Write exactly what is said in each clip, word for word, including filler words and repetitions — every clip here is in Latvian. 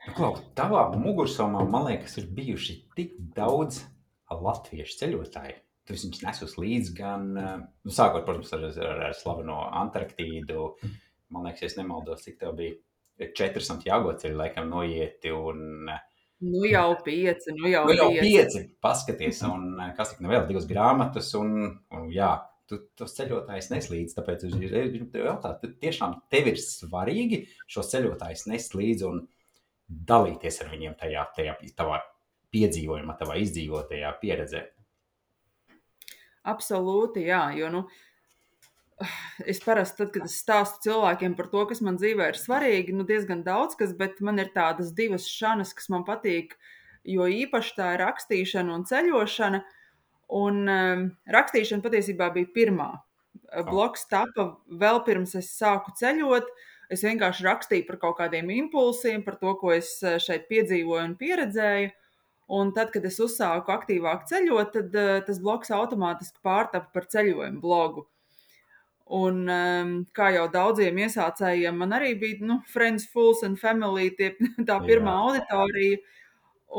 Nu, klau, tavā mugursomā, man liekas, ir bijuši tik daudz latviešu ceļotāju. Tu viņus nesus līdzi gan, eh, nu, sākot, protams, ar, ar, ar slaveno Antarktīdu. Man liekas, ja es nemaldos, cik tev bija četri Santiago ceļi, laikam, noieti, un eh, Nu jau pieci, nu jau nu jau pieci. pieci, paskaties, un eh, kas tik nu vēl divas grāmatas, un, un jā, tu tos ceļotājus neslīdz, tāpēc es gribu tev jautāt, tu tiešām tev ir svarīgi šos ceļotājus nest līdzi un dalīties ar viņiem tajā, tajā tavā piedzīvojumā, tavā izdzīvotajā pieredzē. Absolūti, jā, jo, nu, es parasti, tad, kad es stāstu cilvēkiem par to, kas man dzīvē ir svarīgi, nu, diezgan daudz kas, bet man ir tādas divas šanas, kas man patīk, jo īpaši tā ir rakstīšana un ceļošana, un um, rakstīšana patiesībā bija pirmā. Blogs tapa vēl pirms es sāku ceļot, es vienkārši rakstīju par kaut kādiem impulsiem, par to, ko es šeit piedzīvoju un pieredzēju, un tad, kad es uzsāku aktīvāk ceļot, tad uh, tas blogs automātiski pārtapa par ceļojumu blogu. Un, um, kā jau daudziem iesācējiem, man arī bija nu, Friends, Fools and Family, tie, tā pirmā Jā. auditorija.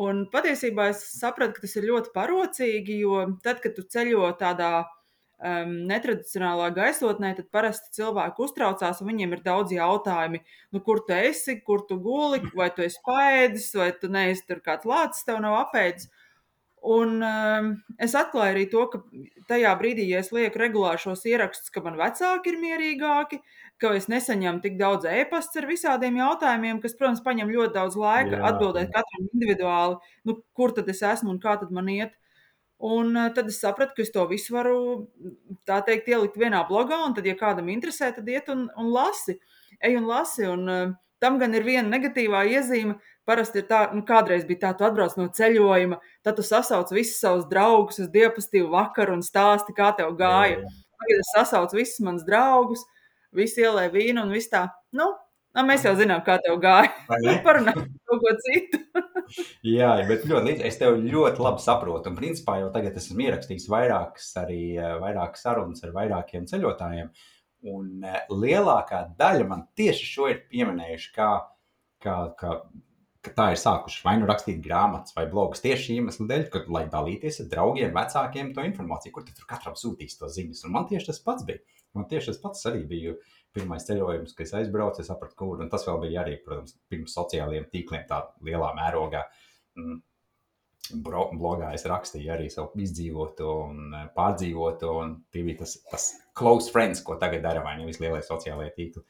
Un patiesībā es sapratu, ka tas ir ļoti parocīgi, jo tad, kad tu ceļo tādā um, netradicionālā gaisotnē, tad parasti cilvēki uztraucās, un viņiem ir daudz jautājumi. Nu, kur tu esi, kur tu guli, vai tu esi paēdis, vai tu neesi tur kāds lācis, tev nav apēdis. Un um, es atklāju arī to, ka tajā brīdī, ja es lieku regulāri šos ierakstus, ka man vecāki ir mierīgāki, ka es nesaņemu tik daudz e-pasts ar visādiem jautājumiem, kas, protams, paņem ļoti daudz laika Jā, atbildēt katram individuāli, nu, kur tad es esmu un kā tad man iet. Un uh, tad es sapratu, ka es to visu varu, tā teikt, ielikt vienā blogā, un tad, ja kādam interesē, tad iet un, un lasi. Ej un lasi, un uh, tam gan ir viena negatīvā iezīme. Parasti ir tā, nu, kādreiz bija tā, tu atbrauc no ceļojuma, tad tu sasauc visus savus draugus uz diapastīvu vakaru un stāsti, kā tev gāja. jā. Tagad es sasaucu visus manus draugus, visi ielē vīnu un viss tā, nu, nu mēs jau zinām, kā tev gāja. Parunājam kaut ko citu. Jā, bet ļoti līdzīgi. Es tev ļoti labi saprotu. Un, principā, jau tagad esmu ierakstījis vairākas, arī vairākas sarunas ar vairākiem ceļotājiem. Un lielākā daļa man tieši šo ir pieminējuši, kā, kā, kā, ka tā ir sākuši vai nu rakstīt grāmatas vai blogus tieši iemeslu dēļ, ka, lai dalīties ar draugiem, vecākiem to informāciju, kur tur katram sūtīs to ziņas. Un man tieši tas pats bija. Man tieši tas pats arī bija pirmais ceļojums, kad es aizbraucu, es sapratu, kur, un tas vēl bija arī, protams, pirms sociālajiem tīkliem tā lielā mērogā. Blogā es rakstīju arī savu izdzīvoto un pārdzīvoto, un tie bija tas, tas close friends, ko tagad dara vai nevis lielie sociālajie tīkli.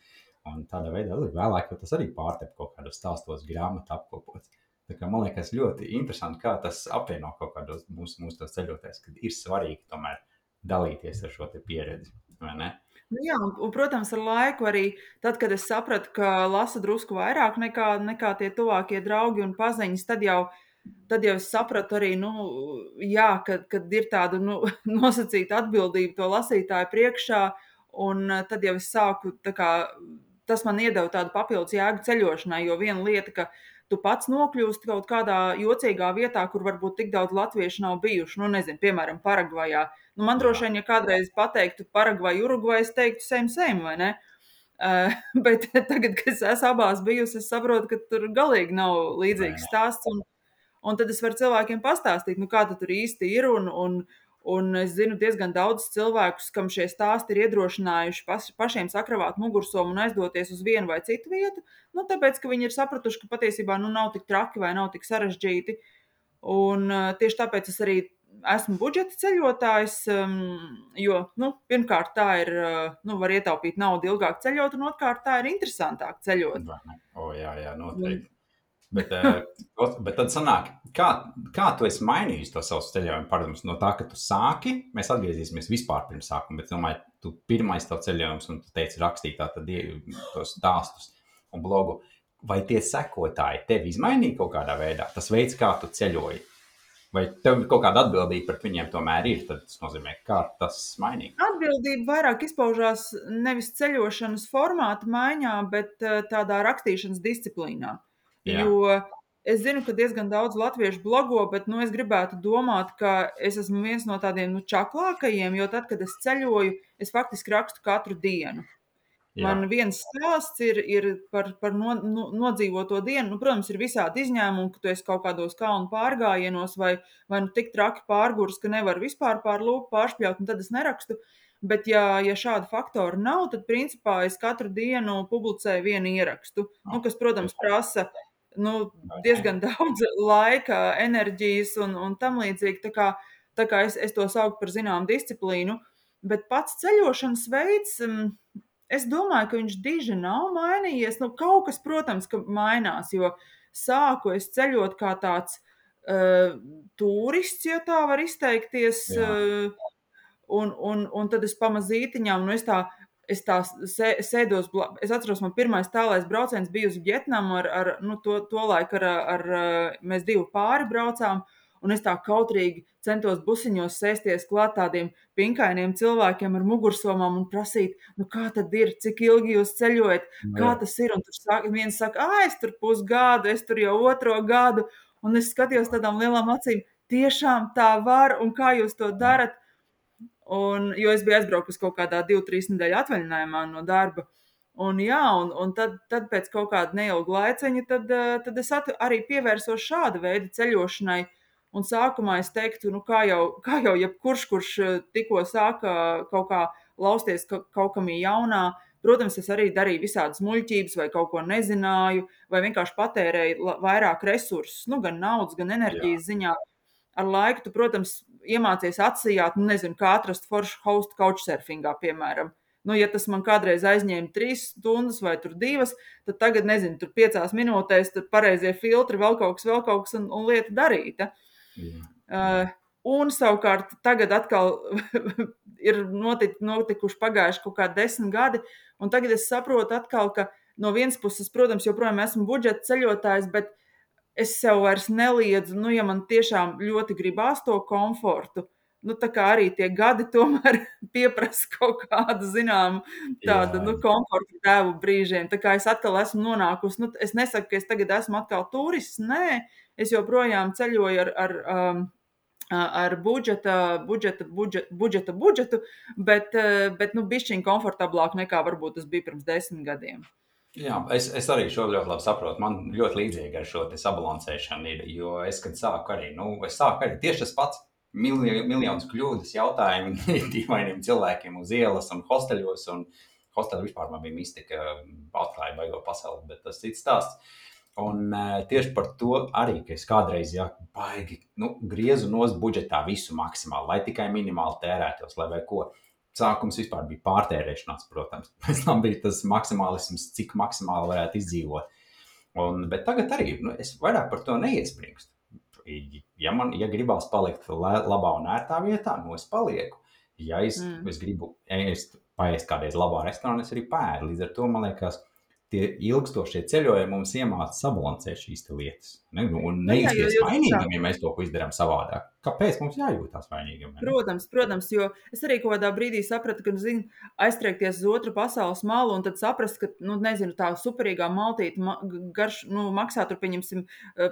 Un tādā veidā vēlāk jau tas arī pārtep kaut kādos stāstos, grāmatu apkopots. Tā kā man liekas ļoti interesanti, kā tas apvieno kaut kādos mūsu, mūsu tos ceļotājs, kad ir svarīgi tomēr dalīties ar šo te pieredzi, vai ne? Nu jā, un, un, protams, ar laiku arī, tad, kad es sapratu, ka lasu drusku vairāk nekā, nekā tie tuvākie draugi un paziņas, tad jau, tad jau es sapratu arī, nu, jā, kad, kad ir tāda nu, nosacīta atbildība to lasītāju priekšā, un tad jau es sāku, tā kā, tas man iedeva tādu papildus jēgu ceļošanai, jo viena lieta, ka tu pats nokļūsti kaut kādā jocīgā vietā, kur varbūt tik daudz latviešu nav bijuši, nu, nezinu, piemēram, Paragvajā. Nu, man droši vien, ja kādreiz pateiktu Paragvai, Urugvai, es teiktu same, same, vai ne? Uh, bet tagad, kad es esmu abās bijusi, es saprotu, ka tur galīgi nav līdzīgs stāsts, un, un tad es varu cilvēkiem pastāstīt, nu, kā tur īsti ir, un, un, un es zinu diezgan daudz cilvēkus, kam šie stāsti ir iedrošinājuši pas, pašiem sakravāt mugursomu un aizdoties uz vienu vai citu vietu, nu, tāpēc, ka viņi ir sapratuši, ka patiesībā nu, nav tik traki vai nav tik sarežģīti, un uh, tieši tāpēc es arī esmu budžeta ceļotājs, um, jo, nu, pirmkārt, tā ir, uh, nu, var ietaupīt naudu ilgāk ceļot, un otrkārt, tā ir interesantāk ceļot. O, jā, jā, noteikti. Bet, bet tad sanāk, kā, kā tu esi mainījis to savu ceļojumu? Protams, no tā, ka tu sāki, mēs atgriezīsimies vispār pirms sākuma, bet domāju, tu pirmais tev ceļojums, un tu teici rakstīt tā tad tos stāstus un blogu. Vai tie sekotāji tevi izmainīja kaut kādā veidā? Tas veids, kā tu ceļoji? Vai tev kaut kāda atbildība pret viņiem tomēr ir? Tad tas nozīmē, kā tas mainīja? Atbildība vairāk izpaužās nevis ceļošanas formāta maiņā, bet tādā rakstīšanas disciplīnā. Jā. Jo es zinu, ka diezgan daudz latviešu blogo, bet nu, es gribētu domāt, ka es esmu viens no tādiem nu, čaklākajiem, jo tad, kad es ceļoju, es faktiski rakstu katru dienu. Jā. Man viens stāsts ir, ir par, par no, no, nodzīvoto dienu. Nu, protams, ir visādi izņēmumi, ka tu esi kaut kādos kalnu pārgājienos vai, vai nu tik traki pārgurs, ka nevar vispār pār lūpu pāršpļaut, un tad es nerakstu. Bet, ja, ja šāda faktora nav, tad, principā, es katru dienu publicēju vienu ierakstu, nu, kas, protams, prasa nu, diezgan daudz laika, enerģijas un, un tam līdzīgi. Tā kā, tā kā es, es to saucu par zināmu disciplīnu. Bet pats ceļošanas veids, es domāju, ka viņš diži nav mainījies. Nu, kaut kas, protams, ka mainās, jo sāku es ceļot kā tāds uh, turists, ja tā var izteikties, uh, un, un, un tad es pamazītiņām, nu es tā, es tā sēdos, es atceros, man pirmais tālais brauciens bija uz Vietnamu, ar, ar nu, to, to laiku ar, ar, ar, mēs divi pāri braucām, un es tā kautrīgi centos busiņos sēsties klāt tādiem pinkainiem cilvēkiem ar mugursomām un prasīt, nu kā tad ir, cik ilgi jūs ceļojat, kā tas ir, un tur sāk, viens saka, ā, es tur pusgadu, es tur jau otro gadu, un es skatījos tādām lielām acīm, tiešām tā var, un kā jūs to darat, un, jo es biju aizbraukus kaut kādā divu, trīs nedēļu atvaļinājumā no darba, un jā, un, un tad, tad pēc kaut kāda neilga laiciņa, tad, tad es at, arī pievērsos šāda veida ceļošanai. Un sākumā es teiktu, nu kā jau, kā jau jebkurš, kurš tikko sāka kaut kā lausties kaut kam jaunā, protams, es arī darīju visādas muļķības vai kaut ko nezināju, vai vienkārši patērēju vairāk resursus, nu gan naudas, gan enerģijas Jā. Ziņā. Ar laiku tu, protams, iemācies atsijāt, nu nezinu, kā atrast foršu hostu couchsurfingā, piemēram. Nu, ja tas man kādreiz aizņēma trīs stundas vai tur divas, tad tagad, nezinu, tur piecās minūtēs, tad pareizie filtri, vēl kaut kas, vēl kaut kas un, un lieta darīta. Jā. Uh, un savukārt tagad atkal ir notik, notikuši pagājuši kaut kādi desmit gadi, un tagad es saprotu atkal, ka no vienas puses, protams, joprojām esmu budžeta ceļotājs, bet es sev vairs neliedzu, nu, ja man tiešām ļoti gribās to komfortu, nu, tā kā arī tie gadi tomēr pieprasa kaut kādu, zinām, tādu, Jā. nu, komfortu tēvu brīžiem, tā kā es atkal esmu nonākusi, nu, es nesaku, ka es tagad esmu atkal turists, nē, es joprojām ceļoju ar, ar, um, ar budžeta, budžeta, budžeta, budžeta, budžetu, bet, bet nu, bišķiņ komfortablāk nekā varbūt tas bija pirms desmit gadiem. Jā, es, es arī šo ļoti labi saprotu. Man ļoti līdzīgi ar šo sabalansēšanu ir, jo es, kad sāku arī, nu, es sāku arī tieši tas pats milj, miljonus kļūdas jautājumi dīvainiem cilvēkiem uz ielas un hosteļos, un hosteļi vispār man bija mistika, atklāja baigo pasauli, bet tas cits stāsts. Un uh, tieši par to arī, ka es kādreiz, jā, baigi, nu, griezu nost budžetā visu maksimāli, lai tikai minimāli tērētos, lai vai ko. Sākums vispār bija pārtērēšanās, protams. Pēc tam bija tas maksimālisms, cik maksimāli varētu izdzīvot. Un, bet tagad arī, nu, es vairāk par to neiespringstu. Ja man, ja gribās palikt labā un ērtā vietā, nu es palieku. Ja es, mm. es gribu ēst, paēst kādreiz labā restorānā, es arī pēdu. Līdz ar to, man liekas, tie ilgstošie ceļojumi mums iemāca sabalansēt šīs lietas. Ne? Un neizties vainīgam, ja mēs to izdarām savādāk. Kāpēc mums jājūtās vainīgam? Ne? Protams, protams, jo es arī kaut kādā brīdī sapratu, ka, zinu, aiztriekties uz otru pasaules malu un tad saprast, ka, nu, nezinu, tā superīgā maltīte ma- garš, nu, maksā tur, pieņemsim,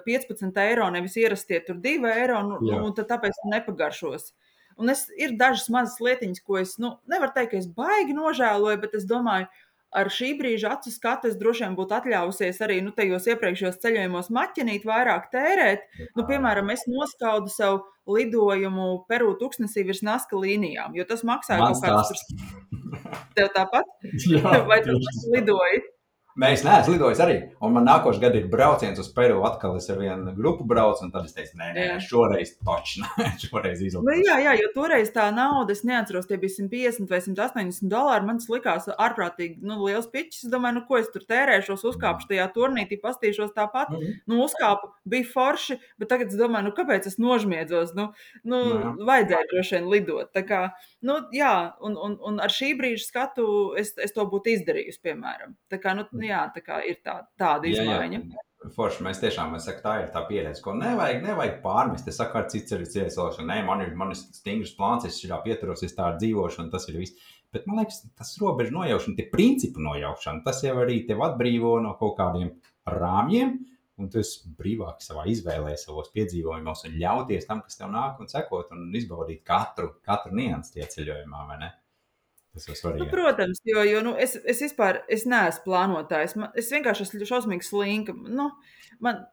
piecpadsmit eiro, nevis ierastie tur divi eiro, nu, un tad tāpēc nepagaršos. Un es, ir dažas mazas lietiņas, ko es, nu, nevaru teikt, ka es baigi nožēloju, bet es domāju, ar šī brīža acu skatu es droši vien būtu atļāvusies arī, nu, tajos iepriekšējos ceļojumos maķinīt, vairāk tērēt. Nu, piemēram, es noskaudu savu lidojumu Peru tuksnesī virs Naska līnijām, jo tas maksāja Mans kaut kāds tur. Tev tāpat? Jā, vai tu lidoji? Mēs neesam lidojis arī, un man nākošais gadu ir brauciens uz Peru, atkal es ar vienu grupu braucu, un tad es teicu, nē, nē, šoreiz toči, šoreiz izlaiž. Nu, jā, jā, jo toreiz tā nauda, es neatceros, tie bija simt piecdesmit vai simt astoņdesmit dolāri, man tas likās ārprātīgi, nu, liels piķis, es domāju, nu, ko es tur tērēšos, uzkāpšu tajā turnītī, pastīšos tāpat, mm-hmm. nu, uzkāpu, bija forši, bet tagad es domāju, nu, kāpēc es nožmiedzos, nu, nu no, vajadzēja droši vien lidot, tā kā, nu, jā, un, un, un ar šī brīža skatu es, es to būtu izdarījusi, piemēram, tā kā, nu, jā, tā kā ir tā, tāda izmaiņa. Jā, jā. Forši, mēs tiešām, es saku, tā ir tā pieredze, ko nevajag, nevajag pārmest. Es saku, ar cits arī ciesošana, nē, man ir, man ir stingrs plāns, es šā pieturos, es tā ar dzīvošanu, tas ir viss. Bet man liekas, tas robežu nojaušana, tie principu nojaušana, tas jau arī tev atbrīvo no kaut kādiem rāmjiem, un tu esi brīvāk savā izvēlē, savos piedzīvojumos un ļauties tam, kas tev nāk un sekot un izbaudīt katru, katru niansu tie ceļojumā, vai ne? Tas ir Nu, svarīgāk. protams, jo, jo nu, es, es vispār es neesmu plānotājs. Man, es vienkārši esmu šausmīgi slinka. Nu, man,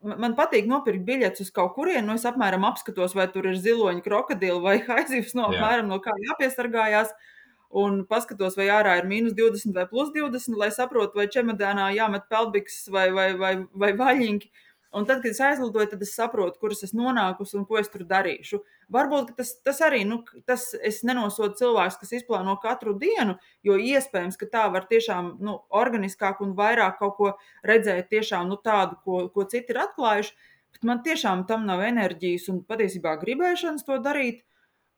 man man patīk nopirkt biļetes uz kaut kurienu. Nu, es apmēram apskatos, vai tur ir ziloņi, krokodili vai haizivs, no Jā. apmēram no kā jāpiesargājās. Un paskatos, vai ārā ir mīnus divdesmit vai plus divdesmit, lai saprotu, vai čemodānā jāmet peldbikses vai, vai, vai, vai vaļņi. Un tad, kad es aizlidoju, tad es saprotu, kur es esmu nonākusi un ko es tur darīšu. Varbūt tas, tas arī, nu, tas es nenosodu cilvēks, kas izplāno katru dienu, jo iespējams, ka tā var tiešām nu, organiskāk un vairāk kaut ko redzēt tiešām nu, tādu, ko, ko citi ir atklājuši. Bet man tiešām tam nav enerģijas un patiesībā gribēšanas to darīt,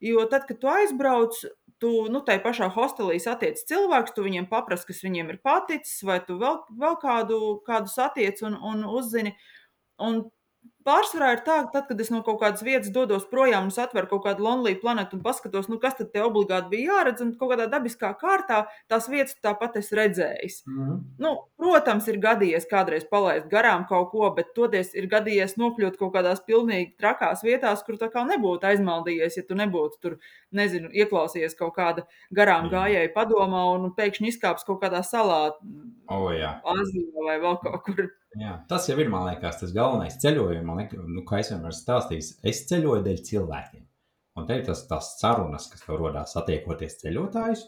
jo tad, kad tu aizbrauc, tu nu, tai pašā hostelī satiec cilvēkus, tu viņiem paprasti, kas viņiem ir paticis, vai tu vēl, vēl kādu, kādu satiec un, un uzzini. Un pārsvarā ir tā, ka tad, kad es no kaut kādas vietas dodos projām un es atveru kaut kādu Lonely Planet un paskatos, nu, kas tad te obligāti bija jāredz, un kaut kādā dabiskā kārtā tās vietas tāpat es redzējis. Mhm. Nu, protams, ir gadījies kādreiz palaist garām kaut ko, bet toties ir gadījies nokļūt kaut kādās pilnīgi trakās vietās, kur tā kā nebūtu aizmaldījies, ja tu nebūtu tur, nezinu, ieklausījies kaut kāda garām Jā. gājēja padomā un pēkšņi izkāps kaut kādā salā, O, jā. Azijā vai vēl kaut kur. Jā, tas jau ir, man liekas, tas galvenais ceļojums. Man liekas, nu, kā es vienmēr stāstīju, es ceļoju dēļ cilvēkiem. Un te ir tas, tas sarunas, kas tev rodās satiekoties ceļotājus,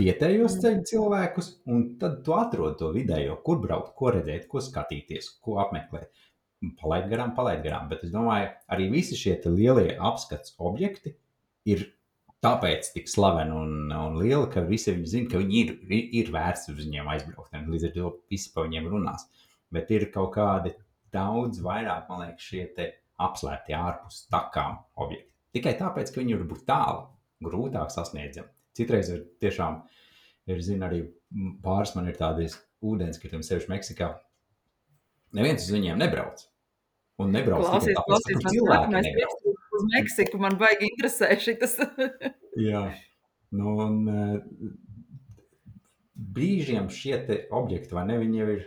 vietējos ceļu cilvēkus, un tad tu atrod to vidējo, kur braukt, ko redzēt, ko skatīties, ko apmeklēt. Palaid garām, palaid garām. Bet es domāju, arī visi šie te lielie apskats objekti ir tāpēc tik slaveni un, un lieli, ka visi viņi zina, ka viņi ir, ir, ir vērts uz viņiem aizbraukt. Līdz ar to visi pa viņiem runās. Bet ir kaut kādi daudz vairāk, man liekas, šie te apslēpti ārpus takām objekti. Tikai tāpēc, ka viņi var būt tālu, grūtāk sasniedzami. Citreiz ir tiešām, ir, zinu, arī pāris man ir tādi ūdenskritumi, sevišķi Meksikā. Neviens uz viņiem nebrauc. Un nebrauc Klausies, tikai tāpēc, ka tur cilvēki nebrauc. Uz Meksiku man baigi interesē šitas. Jā. Nu, un uh, brīžiem šie te objekti, vai ne, viņi jau ir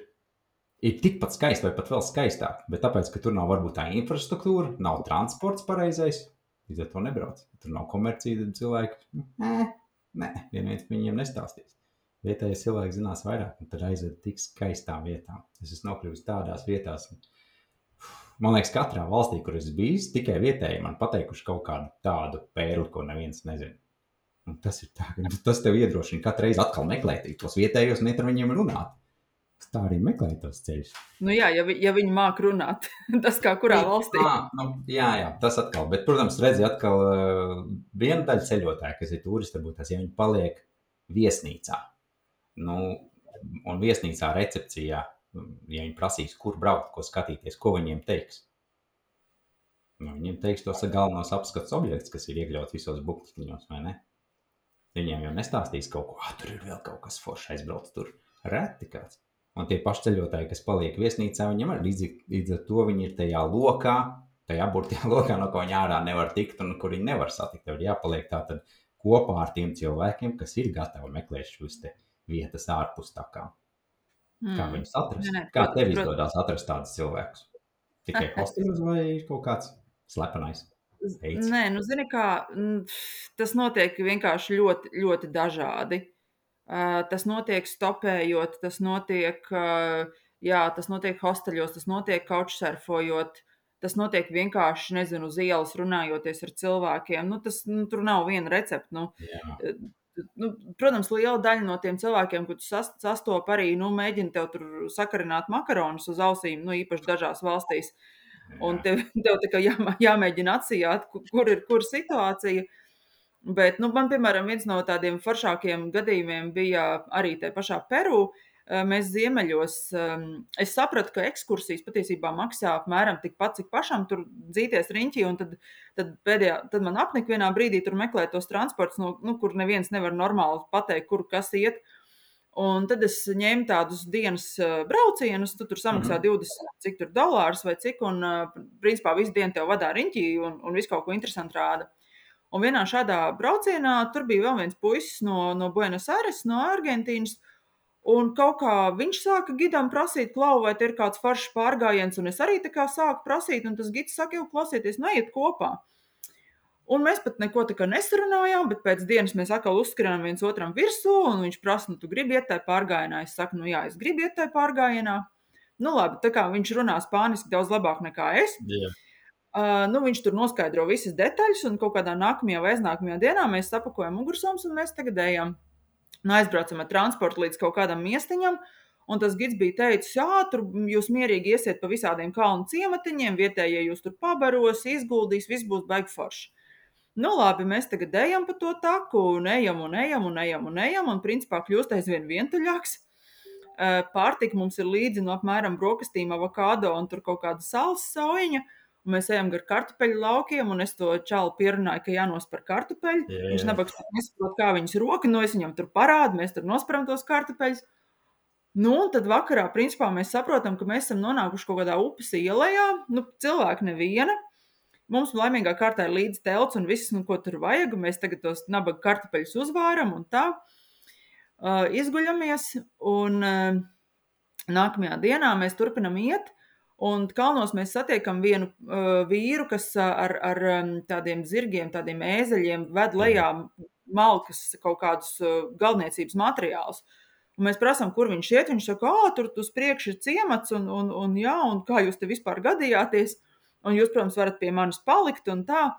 ir tikpat skaisti vai pat vēl skaistāk, bet tāpēc, ka tur nav varbūt tā infrastruktūra, nav transports pareizais, līdz ar to nebrauc. Tur nav komercija, tad cilvēki, nē, nē, vienviens viņiem nestāstīs. Vietējais cilvēks zinās vairāk, un tad aizved tik skaistām vietām. Es esmu nokļuvis tādās vietās, un, man liekas, katrā valstī, kur es bijis, tikai vietēji man pateikuši kaut kādu tādu pērli, ko neviens nezina. Un tas ir tā, ka tas tev iedrošina katru reizi atkal meklēt tos vietējos un iet ar viņiem runāt. Tā arī meklē tos ceļus. Nu jā, ja, vi, ja viņi māk runāt, tas kā kurā valstī. Jā, nu, jā, jā, tas atkal. Bet, protams, redzi atkal uh, viena daļa ceļotāja, kas ir turisti, varbūt tas, ja viņi paliek viesnīcā. Nu, un viesnīcā recepcijā, ja viņi prasīs, kur braukt, ko skatīties, ko viņiem teiks. Nu, viņiem teiks tos galvenos apskats objekts, kas ir iekļauts visos buktiņos, vai ne? Viņiem jau nestāstīs kaut ko, ah, tur ir vēl kaut kas foršs aizbrauc tur. Reti kāds. Un tie paši ceļotāji, kas paliek viesnīcā, viņam arī līdz, līdz ar to viņi ir tajā lokā, tajā burtajā lokā, no ko viņi ārā nevar tikt un kur viņi nevar satikt. Tev ir jāpaliek tātad kopā ar tiem cilvēkiem, kas ir gatavi meklēt šos te vietas ārpus takām. Mm. Kā viņus atrast? Nē, nē, Kā protams, tev protams. izdodas atrast tādus cilvēkus? Tikai hosteļos vai kaut kāds slepenais veids? Nē, nu zini kā, tas notiek vienkārši ļoti, ļoti dažādi. Uh, tas notiek stopējot, tas notiek, uh, jā, tas notiek hosteļos, tas notiek couchsurfojot, tas notiek vienkārši, nezinu, uz ielas runājoties ar cilvēkiem. Nu, tas, nu, tur nav viena recepta. Nu, Jā. nu, protams, liela daļa no tiem cilvēkiem, ko tu sas, sastop arī, nu, mēģina tev tur sakarināt makaronus uz ausīm, nu, īpaši dažās valstīs. Un tev, tev tā kā jā, jāmēģina atsijāt, kur ir kur situācija. Bet, nu, man, piemēram, viens no tādiem foršākiem gadījumiem bija arī tajā pašā Peru. Mēs ziemeļos, es sapratu, ka ekskursijas patiesībā maksā apmēram tikpat, cik pašam tur dzīties riņķī, un tad, tad, pēdējā, tad man apnika vienā brīdī tur meklēt tos transports, no, nu, kur neviens nevar normāli pateikt, kur kas iet. Un tad es ņēmu tādus dienas braucienus, tu tur samaksā mm-hmm. divdesmit, cik tur dolārus vai cik, un principā visu dienu tev vadā riņķī un, un visu kaut ko interesantu rāda. Un vienā šādā braucienā tur bija vēl viens puisis no, no Buenos Aires, no Argentīnas, un kaut kā viņš sāka gidam prasīt, klau, vai te ir kāds foršs pārgājiens, un es arī tā kā sāku prasīt, un tas gids saka, jau klausieties, neiet kopā. Un mēs pat neko tā kā nesarunājām, bet pēc dienas mēs atkal uzskrienam viens otram virsū, un viņš prasa, nu, tu gribi iet tajā pārgājienā? Es saku, nu jā, es gribu iet tajā pārgājienā. Nu labi, tā kā viņš runā spāniski daudz labāk nekā es. Jā. Uh, nu, viņš tur noskaidro visas detaļas, un kaut kādā nākamajā vai aiznākamajā dienā mēs sapakojam mugursomas, un mēs tagad ejam. Nu, aizbraucam ar transportu līdz kaut kādam miestiņam, un tas gids bija teicis, jā, tur jūs mierīgi iesiet pa visādiem kalnu ciematiņiem, vietējie jūs tur pabaros, izguldīs, viss būs baigi forši. Nu, labi, mēs tagad ejam pa to taku, un ejam, un ejam, un ejam, un ejam, un principā kļūst aizvien vientuļāks. Pārtika mums ir līdzi no apmēram brokastīm, avokado un tur kaut kāda sāls saujiņa, un mēs ejam gar kartupeļu laukiem, un es to čalu pierunāju, ka jānospar kartupeļu. Jā, Viņš jā. nabags nesaprot, kā viņas roka, no es viņam tur parādu, mēs tur nosparam tos kartupeļus. Nu, un tad vakarā, principā, mēs saprotam, ka mēs esam nonākuši kaut kādā upes ielējā, nu, cilvēki neviena. Mums laimīgā kārtā ir līdzi telts un viss, nu, ko tur vajag, un mēs tagad tos nabaga kartupeļus uzvāram un tā. Uh, izguļamies, un uh, nākamajā dienā mēs turpinam iet, un kalnos mēs satiekam vienu uh, vīru, kas uh, ar, ar um, tādiem zirgiem, tādiem ēzeļiem ved lejā malkas kaut kādus uh, galdniecības materiālus. Un mēs prasām, kur viņš iet, viņš saka, ā, tur uz priekšu ir ciemats, un, un, un jā, un kā jūs te vispār gadījāties, un jūs, protams, varat pie manis palikt, un tā.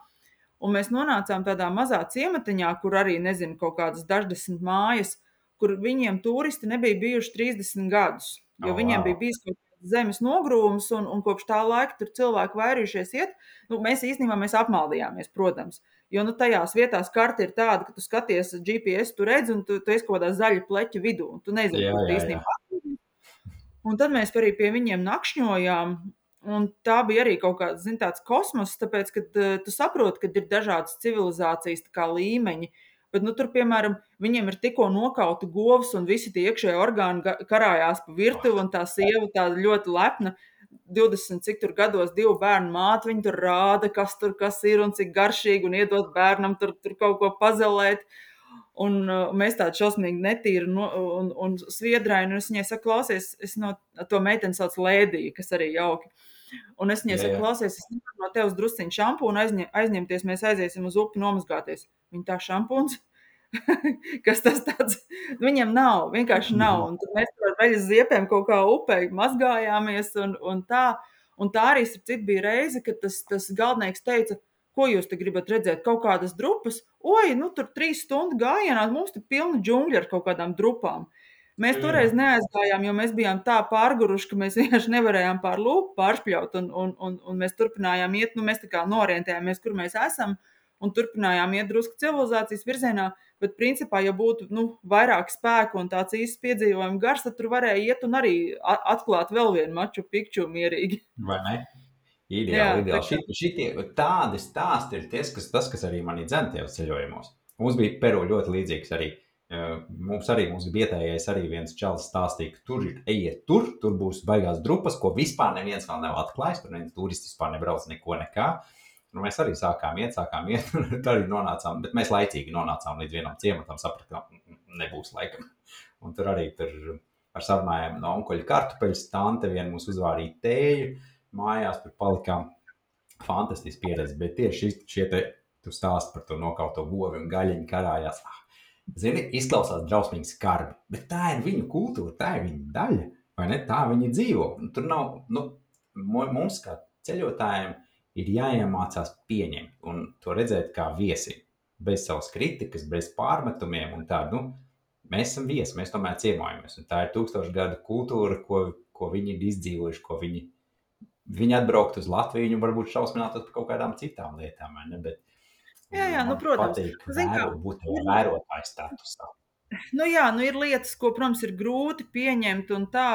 Un mēs nonācām tādā mazā ciematiņā, kur arī, nezinu, kaut kādas daždesmit mājas, kur viņiem turisti nebija bijuši trīsdesmit gadus, jo Oh, viņiem wow. bija bijis kaut kāds zemes nogrūms, un, un kopš tā laika tur cilvēki vairījušies iet. Nu, mēs īstenībā mēs apmaldījāmies, protams, jo nu, tajās vietās karta ir tāda, ka tu skaties G P S, tu redzi, un tu, tu esi kaut kādā zaļa pleķa vidū, un tu nezini, Jā, kur tu jā, īstenībā. Un tad mēs arī pie viņiem nakšņojām, un tā bija arī kaut kāds, zin, tāds kosmos, tāpēc, ka uh, tu saproti, ka ir dažādas civilizācijas tā kā līmeņi, bet, nu, tur, piemēram, viņiem ir tikko nokauti govs, un visi tie iekšējie orgāni ga- karājās pa virtuvi, un tā sieva tāda ļoti lepna, divdesmit cik tur gados divu bērnu māte, viņa tur rāda, kas tur kas ir, un cik garšīgi, un iedot bērnam tur, tur kaut ko pazelēt. Un uh, mēs tādu šausmīgi netīru no, un, un sviedraini, un es viņai saku, klausies, es no to meiteni sauc Lēdija, kas arī jauki. Un es viņai Jā, saku, jā. klausies, es nevaru no tevis drusciņu šampūnu aizņem, aizņemties, mēs aiziesim uz upi nomazgāties. Viņa tā šampūns, kas tas tāds, viņam nav, vienkārši nav. Un tad mēs tur ar veļas ziepēm kaut kā upē mazgājāmies, un, un tā. Un tā arī starp citu bija reize, kad tas, tas galdnieks teica, ko jūs te gribat redzēt, kaut kādas drupas? Oi, nu tur trīs stundu gājienā, mums te pilna džungļa ar kaut kādām drupām. Mēs Jā. toreiz neaizgājām, jo mēs bijām tā pārguruši, ka mēs vienkārši nevarējām pār lūpu pāršpļaut, un, un, un, un mēs turpinājām iet, nu mēs tā kā norientējāmies, kur mēs esam, un turpinājām iet drusku civilizācijas virzienā, bet principā, ja būtu, nu, vairāk spēku un tāds īsts piedzīvojuma gars, tad tur varēja iet un arī a- atklāt vēl vienu Maču Pikču mierīgi. Vai ne? Jā, Ideāli, tā ideāli. Šit, šitie, tādi stāsti ir ties, kas, tas, kas arī mani dzen tajos ceļojumos. Mums bija Peru ļoti līdzīgs arī. Uh, Mums arī mums bija vietējais arī viens čalis stāstīja, ka tur ir, ejiet tur, tur būs baigās drupas, ko vispār neviens vēl nav atklājis, tur neviens turists vispār nebrauc neko nekā. Nu, mēs arī sākām iet, sākām iet, un tur arī nonācām, bet mēs laicīgi nonācām līdz vienam ciematam, sapratām, ka nebūs laikam. Un tur arī tur ar sarunājām no onkuļa kartupeļus, tante vien mums uzvārīja tēju, mājās tur palikām. Fantastiski pieredze, bet tieši šie te, tu stāsti par to nokauto govi un gaļiņu karājās. Zini, izklausās drausmīgi skarbi, bet tā ir viņu kultūra, tā ir viņa daļa, vai ne? Tā viņi dzīvo. Un tur nav, nu, mums kā ceļotājiem ir jāiemācās pieņemt un to redzēt kā viesi, bez savas kritikas, bez pārmetumiem un tā, nu, mēs esam viesi, mēs tomēr ciemojamies. Un tā ir tūkstošu gadu kultūra, ko, ko viņi ir izdzīvojuši, ko viņi, viņi atbraukt uz Latviju, viņi varbūt šausminātos par kaut kādām citām lietām, vai ne? Bet jā, jā, nu, man protams. patīk Zin kā, vēro, būt tajā vērotāju statusā. nu jā, nu ir lietas, ko, protams, ir grūti pieņemt, un tā,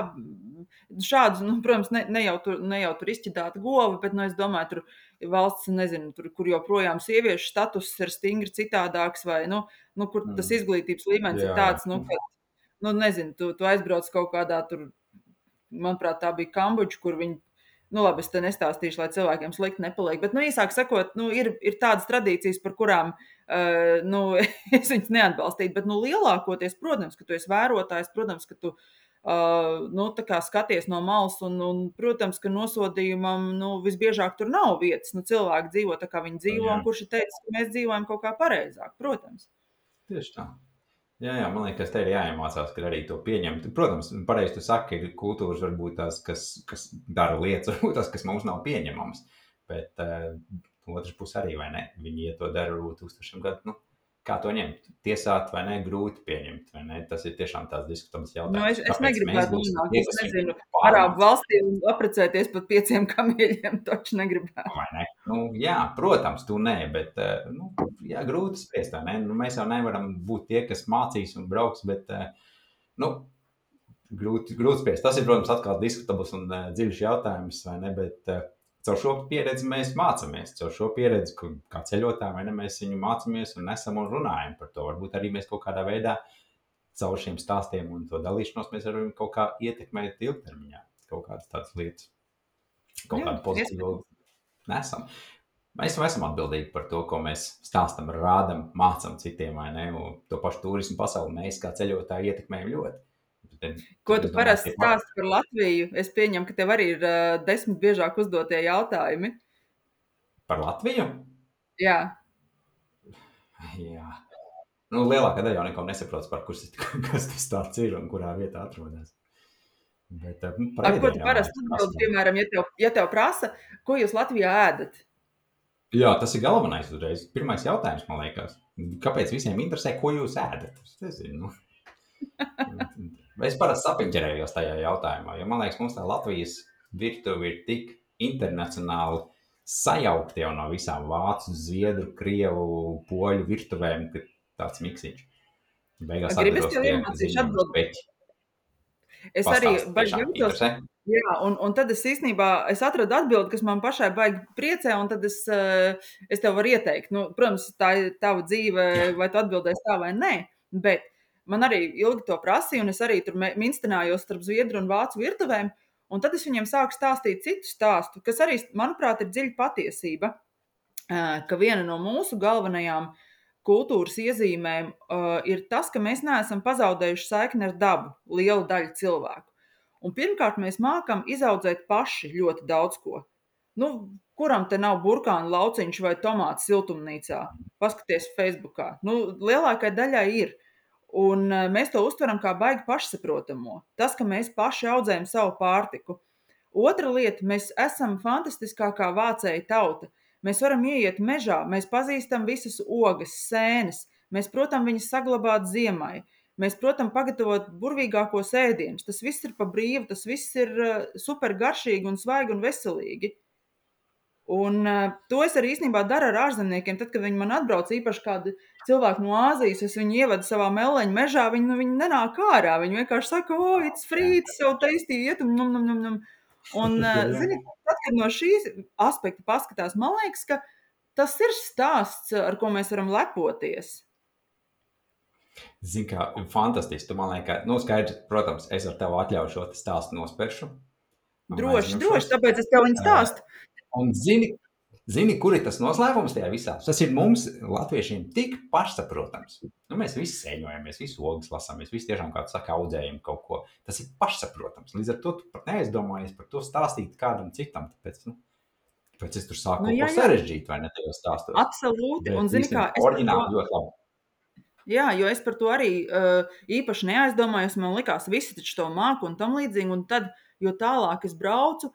šādus, nu, protams, ne, ne, jau tur, ne jau tur izķidāta gova, bet, nu, es domāju, tur valsts, nezinu, tur, kur joprojām sieviešu status ir stingri citādāks, vai, nu, nu kur tas Mm. izglītības līmenis Jā, ir tāds, nu, ka, nu, nezinu, tu, tu aizbrauc kaut kādā tur, manuprāt, tā bija Kambodža, kur viņi, nu, labi, es te nestāstīšu, lai cilvēkiem slikti nepaliek, bet, nu, īsāk sakot, nu, ir, ir tādas tradīcijas, par kurām, uh, nu, es viņas neatbalstītu, bet, nu, lielākoties, protams, ka tu esi vērotājs, protams, ka tu uh, nu, tā kā skaties no malas, un, un, protams, ka nosodījumam, nu, visbiežāk tur nav vietas, nu, cilvēki dzīvo tā, kā viņi dzīvo, Jā, un kurš ir teicis, ka mēs dzīvojam kaut kā pareizāk, protams. tieši tā. Jā, jā, man liekas, te ir jāiemācās, ka arī to pieņemt. Protams, pareizi tu saki, ir kultūras varbūt tās, kas, kas dara lietas, varbūt tās, kas mums nav pieņemams. Bet uh, otrs puses arī, vai ne? Viņi, ja to dara, varbūt tūkstošiem gadu, nu, kā to ņemt? Tiesāt vai ne? Grūti pieņemt, vai ne? Tas ir tiešām tās diskutabls jautājums. Nu, es, es Kāpēc mēs negribētu būsim nonākt, tie, es kas nezinu, viņu Arābu pārmāca? valstī un apprecēties pat pieciem kamieļiem, taču negribētu. Vai ne? Nu, jā, protams, tu nē, bet uh, nu, jā, grūti spriest, vai ne? Nu, mēs jau nevaram būt tie, kas mācīs un brauks, bet uh, nu, grūti, grūti spriest. Tas ir, protams, atkal diskutabls un uh, dziļš jautājums, vai ne? Bet uh, caur šo pieredzi mēs mācāmies. Caur šo pieredzi, kā ceļotāji, vai ne, mēs viņu mācāmies un nesam un runājam par to. Varbūt arī mēs kaut kādā veidā caur šiem stāstiem un to dalīšanos mēs varam kaut kā ietekmēt ilgtermiņā kaut kādas tādas lietas. Kaut Jā, kādu pozitīvu nesam. Mēs jau esam atbildīgi par to, ko mēs stāstam, rādam, mācam citiem, vai ne? Un to pašu turismu pasauli mēs kā ceļotāji ietekmējam ļoti. Tad, Ko tad tu es domāju, parasti tie stāsti par Latviju? Es pieņemu, ka tev arī ir uh, desmit biežāk uzdotie jautājumi. par Latviju? Jā. Jā. Nu, lielākā daļa jau neko nesaprotas, par kurš, kas tas tāds ir un kurā vietā atrodas. Bet, nu, par Ar ko tu ēdieniem parasti vajag atbildi, prasīt. piemēram, ja tev, ja tev prasa, ko jūs Latvijā ēdat? Jā, tas ir galvenais uzreiz. Pirmais jautājums, man liekas. Kāpēc visiem interesē, ko jūs ēdat? Es nezinu. Es parasti sapiņķerējos tajā jautājumā, jo man liekas, mums tā Latvijas virtuve ir tik internacionāli sajaukti jau no visām vācu, zviedru, krievu, poļu virtuvēm, ka tāds miksiņš. Beigās Gribi es atveros tev tie iemācīšu ziņu uz atbildi? peķi. Es arī Pastāsti, baigi tiešām jūtos, interesē. jā, un, un tad es īstenībā, es atradu atbildi, kas man pašai baigi priecē, un tad es, eh, es tev varu ieteikt. Nu, protams, tā ir tava dzīve, Jā. vai tu atbildēsi tā vai nē, bet man arī ilgi to prasīja, un es arī tur me- minstinājos starp zviedru un vācu virtuvēm, un tad es viņiem sāku stāstīt citu stāstu, kas arī, manuprāt, ir dziļa patiesība, eh, ka viena no mūsu galvenajām kultūras iezīmēm uh, ir tas, ka mēs neesam pazaudējuši saikni ar dabu, liela daļa cilvēku. Un pirmkārt, mēs mākam izaudzēt paši ļoti daudz ko. Nu, kuram te nav burkānu lauciņš vai tomāts siltumnīcā? Paskaties Facebookā. Nu, lielākai daļai ir. Un uh, mēs to uztveram kā baigi pašsaprotamo. Tas, ka mēs paši audzējam savu pārtiku. Otra lieta, mēs esam fantastiskākā vācēja tauta. Mēs varam ieiet mežā, mēs pazīstam visas ogas, sēnes, mēs, protams, viņas saglabāt ziemai, mēs, protams, pagatavot burvīgākos ēdienus. Tas viss ir pa brīvu, tas viss ir uh, super garšīgi un svaigi un veselīgi. Un uh, to es arī īstenībā daru ar ārzemniekiem. Tad, kad viņi man atbrauc, īpaši kādi cilvēki no Āzijas, es viņu ievedu savā meleņu mežā, viņi, nu, viņi nenāk ārā. Viņi vienkārši saka, o, it's free, it's so tasty, iet un num, num, num, num. Un, uh, zini, tad, kad no šīs aspekta paskatās, man liekas, ka tas ir stāsts, ar ko mēs varam lepoties. Zini, kā fantastiski. Tu man liekas, nu, skaidrs, protams, es ar tevi atļauju šo te stāstu nosperšu. un Droši, aizņemšos. droši, tāpēc es tev viņu stāstu. Un zini, zini, kur ir tas noslēpums tajā visā? Tas ir mums, latviešiem, tik pašsaprotams. Nu, mēs visi sēņojamies, visi ogas lasām, mēs visi tiešām, kā tu saki, audzējam kaut ko. Tas ir pašsaprotams. Līdz ar to tu pat neaizdomājies par to stāstīt kādam citam. Tāpēc, nu, tāpēc es tur sāku Nu, kaut jā, ko jā. sarežģīt, vai ne, tajos stāstos. Absolūti. Bet Un, zini, kā, īstenībā es par to, oriģināli ļoti labi. jā, jo es par to arī uh, īpaši neaizdomājos. Man likās, visi taču to māku un tam līdzīgi. Un tad, jo tālāk es braucu,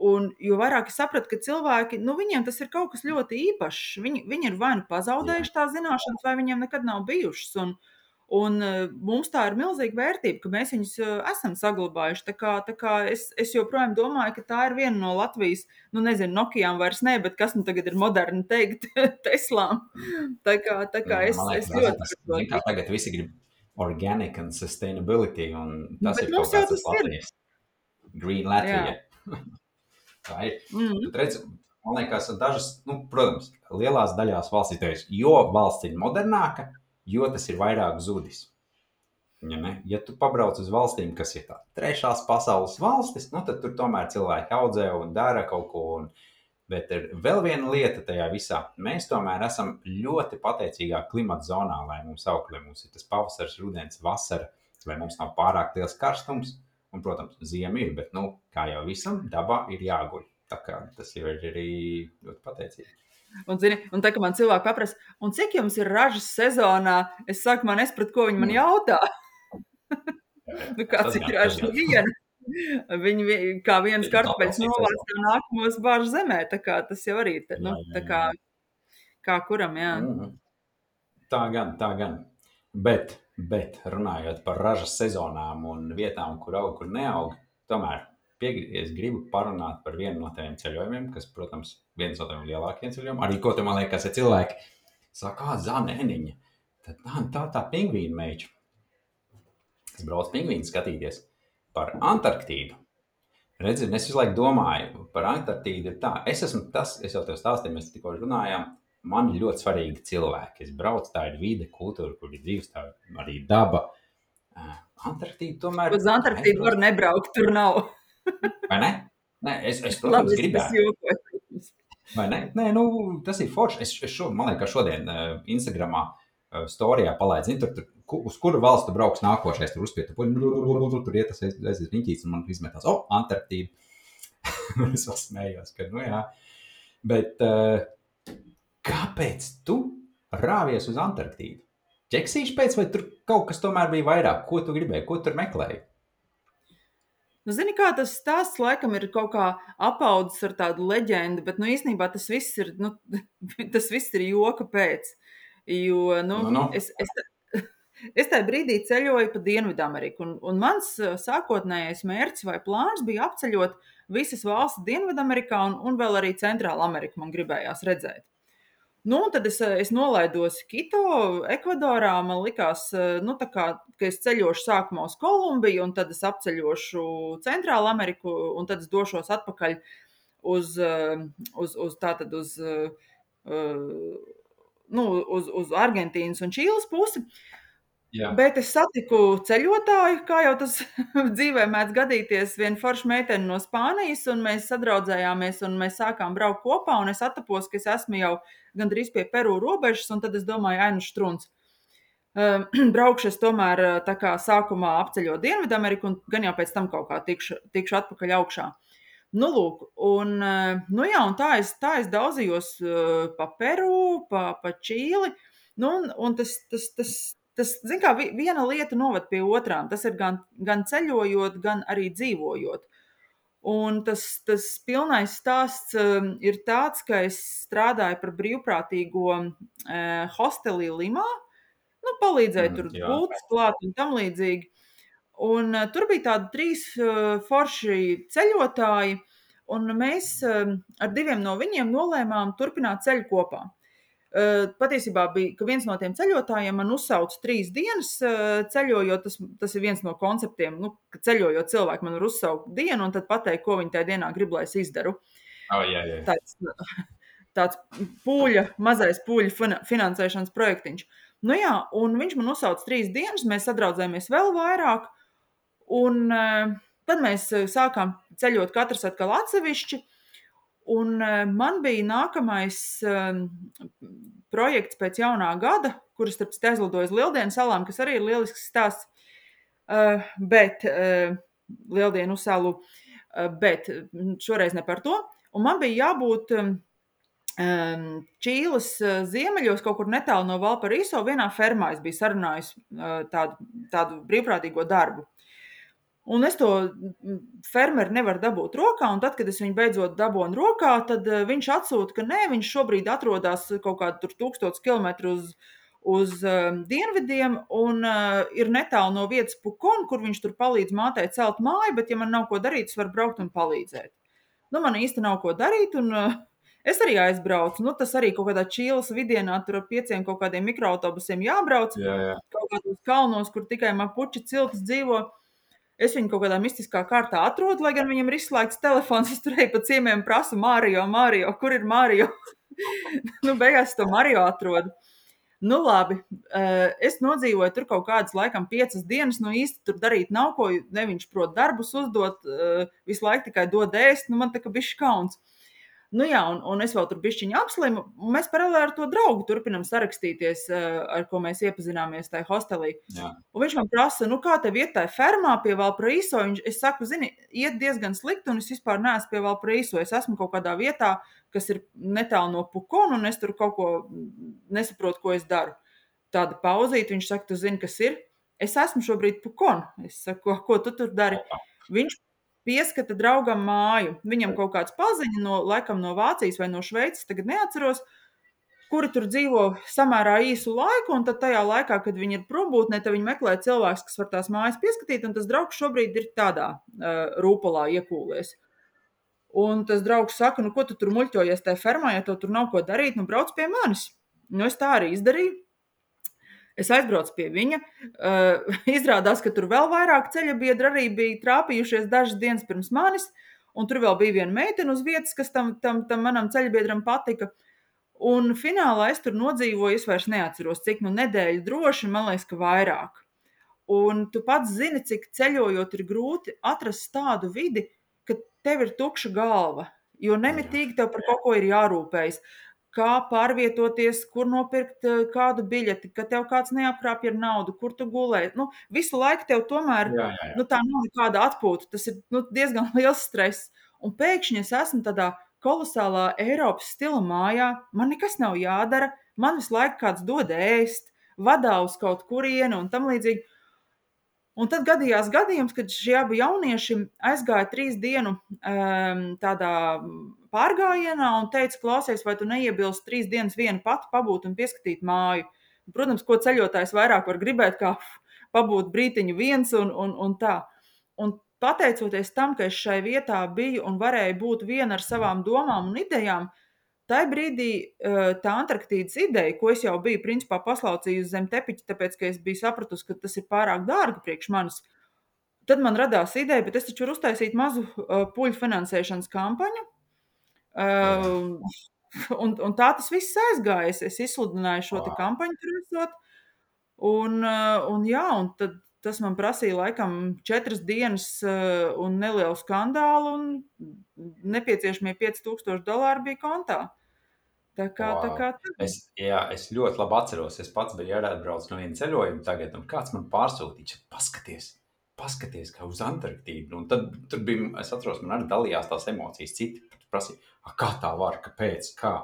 un jo vairāk es sapratu, ka cilvēki, nu, viņiem tas ir kaut kas ļoti īpašs. Viņi, viņi ir vai nu pazaudējuši tās zināšanas, vai viņiem nekad nav bijušas. Un, un uh, mums tā ir milzīga vērtība, ka mēs viņus uh, esam saglabājuši. Tā kā, tā kā es, es joprojām domāju, ka tā ir viena no Latvijas, nu, nezinu, Nokijām vairs ne, bet kas nu tagad ir moderni teikt, Teslām. Tā kā, tā kā es, Man es liekas, ļoti tas, par to zini, kā tagad visi grib organic and sustainability, un Nu, tas bet ir mums kaut jau kāds tas tas ir. Latvijas. Green Latvija. Tā ir. Mm. Tu redzi, man liekas, dažas, nu, protams, lielās daļās valstīs, tevis, jo valsts ir modernāka, jo tas ir vairāk zudis. Ja, ne? Ja tu pabrauc uz valstīm, kas ir tā trešās pasaules valstis, nu, tad tur tomēr cilvēki audzē un dara kaut ko. Un, bet ir vēl viena lieta tajā visā. Mēs tomēr esam ļoti pateicīgā klimata zonā, lai mums aug, lai mums ir tas pavasars, rudens, vasara, vai mums nav pārāk liels karstums. Un, protams, ziema ir, bet, nu, kā jau visam, dabā ir jāguļ. Tā kā tas jau ir arī ļoti pateicīgi. Un, zini, un tā, ka man cilvēki paprasa, un cik jums ir ražas sezonā, es saku, man nespratu, ko viņi man jautā. Nu, kāds ir ražas? Nu, viena. Viņi vi- kā viens kartupeļs novāc, tā nākamos bāž zemē. Tā kā tas jau arī, te- nu, Jā, jā, tā kā, kā kuram, jā. Mm. Tā gan, tā gan. Bet, bet runājot par ražas sezonām un vietām, kur aug, kur neaug, tomēr piegri- es gribu parunāt par vienu no tiem ceļojumiem, kas, protams, viens no tiem lielākiem ceļojumiem. Arī, ko te man liekas, ja cilvēki saka, kā Zane Eniņa, tad tā, tā, tā pingvīna meiča. Es braucu pingvīnu skatīties par Antarktīdu. Redzi, es visu laiku domāju par Antarktīdu ir tā. Es esmu tas, es jau tev stāstīju, mēs tikko runājām, man ir ļoti svarīgi cilvēki. Es braucu, tā ir vide, kultūra, kur ir dzīves, tā ir arī daba. Uh, Antarktīda tomēr... Uz Antarktīdu var nebraukt, tur nav. Vai ne? Nē, es, es protams, Labi, es gribētu. jokoju. Vai ne? Nē, nu, tas ir forši. Es, es šo, man liekas, šodien uh, Instagramā uh, storijā palaidu, zinu, tur, tur, ku- uz kuru valstu brauks nākošais, tur uzspiet, tur, tur iet tas aizies riņķīts, un man izmetās, o, Antarktīda. Es vēl smējos, ka, nu jā. Bet uh, kāpēc tu rāvies uz Antarktīdu? Ķeksīši pēc, vai tur kaut kas tomēr bija vairāk? Ko tu gribēji? Ko tur meklēji? Nu, zini, kā tas stāsts laikam ir kaut kā apaudzis ar tādu leģendu, bet, nu, īstenībā tas viss ir, nu, tas viss ir joka pēc. Jo, nu, Nu, nu. es, es, es tajā brīdī ceļoju pa Dienvidameriku, un, un mans uh, sākotnējais mērķis vai plāns bija apceļot visas valstis Dienvidamerikā un, un vēl arī Centrāla Ameriku man gribējās redzēt. Nu, un tad es, es nolaidos Kito, Ekvadorā. Man likās, nu, tā kā, ka es ceļošu sākumā uz Kolumbiju, un tad es apceļošu Centrālu Ameriku, un tad es došos atpakaļ uz, uz, uz, tātad uz, nu, uz, uz Argentīnas un Čīles pusi. Jā. Bet es satiku ceļotāju, kā jau tas dzīvē mēdz gadīties, vienu foršu meiteni no Spānijas, un mēs sadraudzējāmies, un mēs sākām braukt kopā, un es attapos, ka es esmu jau gandrīz pie Peru robežas, un tad es domāju, ai, nu štruns. Uh, braukšu es tomēr tā kā sākumā apceļot Dienvidameriku, un gan jau pēc tam kaut kā tikšu, tikšu atpakaļ augšā. Nu, lūk, un, nu jā, un tā es, tā es daudzījos uh, pa Peru, pa, pa Čīli, nu, un, un tas, tas, tas, tas, zin kā, viena lieta noved pie otrām. Tas ir gan, gan ceļojot, gan arī dzīvojot. Un tas, tas pilnais stāsts um, ir tāds, ka es strādāju par brīvprātīgo uh, hostelī Limā, nu, palīdzēju Mm, tur jā. gultas klāt un tam līdzīgi. Un uh, tur bija tādi trīs uh, forši ceļotāji, un mēs uh, ar diviem no viņiem nolēmām turpināt ceļu kopā. Uh, patiesībā bija, ka viens no tiem ceļotājiem man uzsauca trīs dienas uh, ceļojot. Tas, tas ir viens no konceptiem, nu, ka ceļojot cilvēki man var uzsaukt dienu un tad pateikt, ko viņi tajā dienā grib, lai es izdaru. Oh, jā, jā. Tāds, tāds pūļa, mazais pūļa finansēšanas projektiņš. Nu jā, un viņš man uzsauca trīs dienas, mēs sadraudzējāmies vēl vairāk, un uh, tad mēs sākām ceļot katrs atkal atsevišķi. Un man bija nākamais um, projekts pēc jaunā gada, kuras starp citu aizlidoju uz Lieldienu salām, kas arī ir lielisks stāsts, uh, bet uh, Lieldienu salu, uh, bet šoreiz ne par to. Un man bija jābūt um, Čīles ziemeļos, kaut kur netālu no Valparaiso, vienā fermā es biju sarunājis uh, tādu, tādu brīvprātīgo darbu. Un es to fermeri nevaru dabūt rokā, un tad, kad es viņu beidzot dabonu rokā, tad viņš atsūta, ka nē, viņš šobrīd atrodas kaut kādu tur tūkstotis kilometru uz, uz uh, dienvidiem, un uh, ir netālu no vietas Pukon, kur viņš tur palīdz mātei celt māju, bet ja man nav ko darīt, es varu braukt un palīdzēt. Nu, man īsti nav ko darīt, un uh, es arī aizbraucu. Nu, tas arī kaut kādā Čīles vidienā, tur ar pieciem kaut kādiem mikroautobusiem jābrauc, Jā, jā. kaut kādos kalnos, kur tikai mapuči ciltis dzīvo. Es viņu kaut kādā mistiskā kārtā atrodu, lai gan viņam ir izslēgts telefons. Es tur eju pa ciemiem, prasu Mārio, Mārio, kur ir Mārio? Nu, beigās to Mārio atrodu. Nu, labi, es nodzīvoju tur kaut kādas laikam piecas dienas, nu īsti tur darīt nav ko, ne viņš prot darbus uzdot, visu laiku tikai dod ēst, nu man tā kā bišķi kauns. Nu jā, un, un es vēl tur bišķiņu apslimu, un mēs paralēli ar to draugu turpinam sarakstīties, ar ko mēs iepazināmies tajā hostelī. Jā. Un viņš man prasa, nu kā tev iet tajā fermā pie Valparaiso? Es saku, zini, iet diezgan slikti, un es vispār neesmu pie Valparaiso. Es esmu kaut kādā vietā, kas ir netālu no Pukona, un es tur kaut ko nesaprotu, ko es daru. Tāda pauzīte, viņš saka, tu zini, kas ir? Es esmu šobrīd Pukona. Es saku, ko, ko tu tur dari? Viņš pieskata draugam māju. Viņam kaut kāds paziņa, no, laikam no Vācijas vai no Šveices, tagad neatceros, kuri tur dzīvo samērā īsu laiku, un tad tajā laikā, kad viņi ir prombūtnē, tad viņi meklē cilvēks, kas var tās mājas pieskatīt, un tas draugs šobrīd ir tādā uh, rūpolā iekūlies. Un tas draugs saka, nu ko tu tur muļķojies tajā fermā, ja tev tur nav ko darīt, nu brauc pie manis. Nu es tā arī izdarīju. Es aizbraucu pie viņa, uh, izrādās, ka tur vēl vairāk ceļa biedri arī bija trāpījušies dažas dienas pirms manis, un tur vēl bija viena meitene uz vietas, kas tam, tam, tam manam ceļabiedram patika. Un finālā es tur nodzīvoju, es vairs neatceros, cik nu nedēļu droši, man liekas, ka vairāk. Un tu pats zini, cik ceļojot ir grūti atrast tādu vidi, ka tev ir tukša galva, jo nemitīgi tev par kaut ko ir jārūpējas. Kā pārvietoties, kur nopirkt kādu biļeti, ka tev kāds neapkrāpj ar naudu, kur tu gulē. Nu, visu laiku tev tomēr Jā, jā, jā. Nu, tā nav nekāda atpūta. Tas ir nu, diezgan liels stress. Un pēkšņi es esmu tādā kolosālā Eiropas stila mājā. Man nekas nav jādara. Man visu laiku kāds dod ēst, vadā uz kaut kurieni un tam līdzīgi. Un tad gadījās gadījums, kad šie abi jaunieši aizgāja trīs dienu um, tādā pārgājienā un teica, klausies, vai tu neiebilst trīs dienas vienu pati pabūt un pieskatīt māju. Protams, ko ceļotājs vairāk var gribēt, kā pabūt brītiņu viens un, un, un tā. Un pateicoties tam, ka es šai vietā biju un varēju būt viena ar savām domām un idejām, tajā brīdī tā Antarktīdas ideja, ko es jau biju principā paslaucījusi zem tepiķa, tāpēc, ka es biju sapratusi, ka tas ir pārāk dārgi priekš manis, tad man radās ideja, bet es taču varu uztaisīt mazu puļu finansēšanas kampaņu. Uh, un, un tā tas viss aizgājas. Es izsludināju šo te kampaņu tur esot. Un, un jā, un tad tas man prasīja laikam četras dienas un nelielu skandālu, un nepieciešamie pieci tūkstoši dolāri bija kontā. Tā kā, wow. tā kā tā. Es, jā, es ļoti labi atceros. Es pats biju ārātbraucis no viena ceļojuma tagad, un kāds man pārsūtīja, paskaties, paskaties, kā uz Antarktīdu. Un tad tur bija, es atceros, man arī dalījās tās emocijas. Citi prasīja, kā tā var, kāpēc, kā.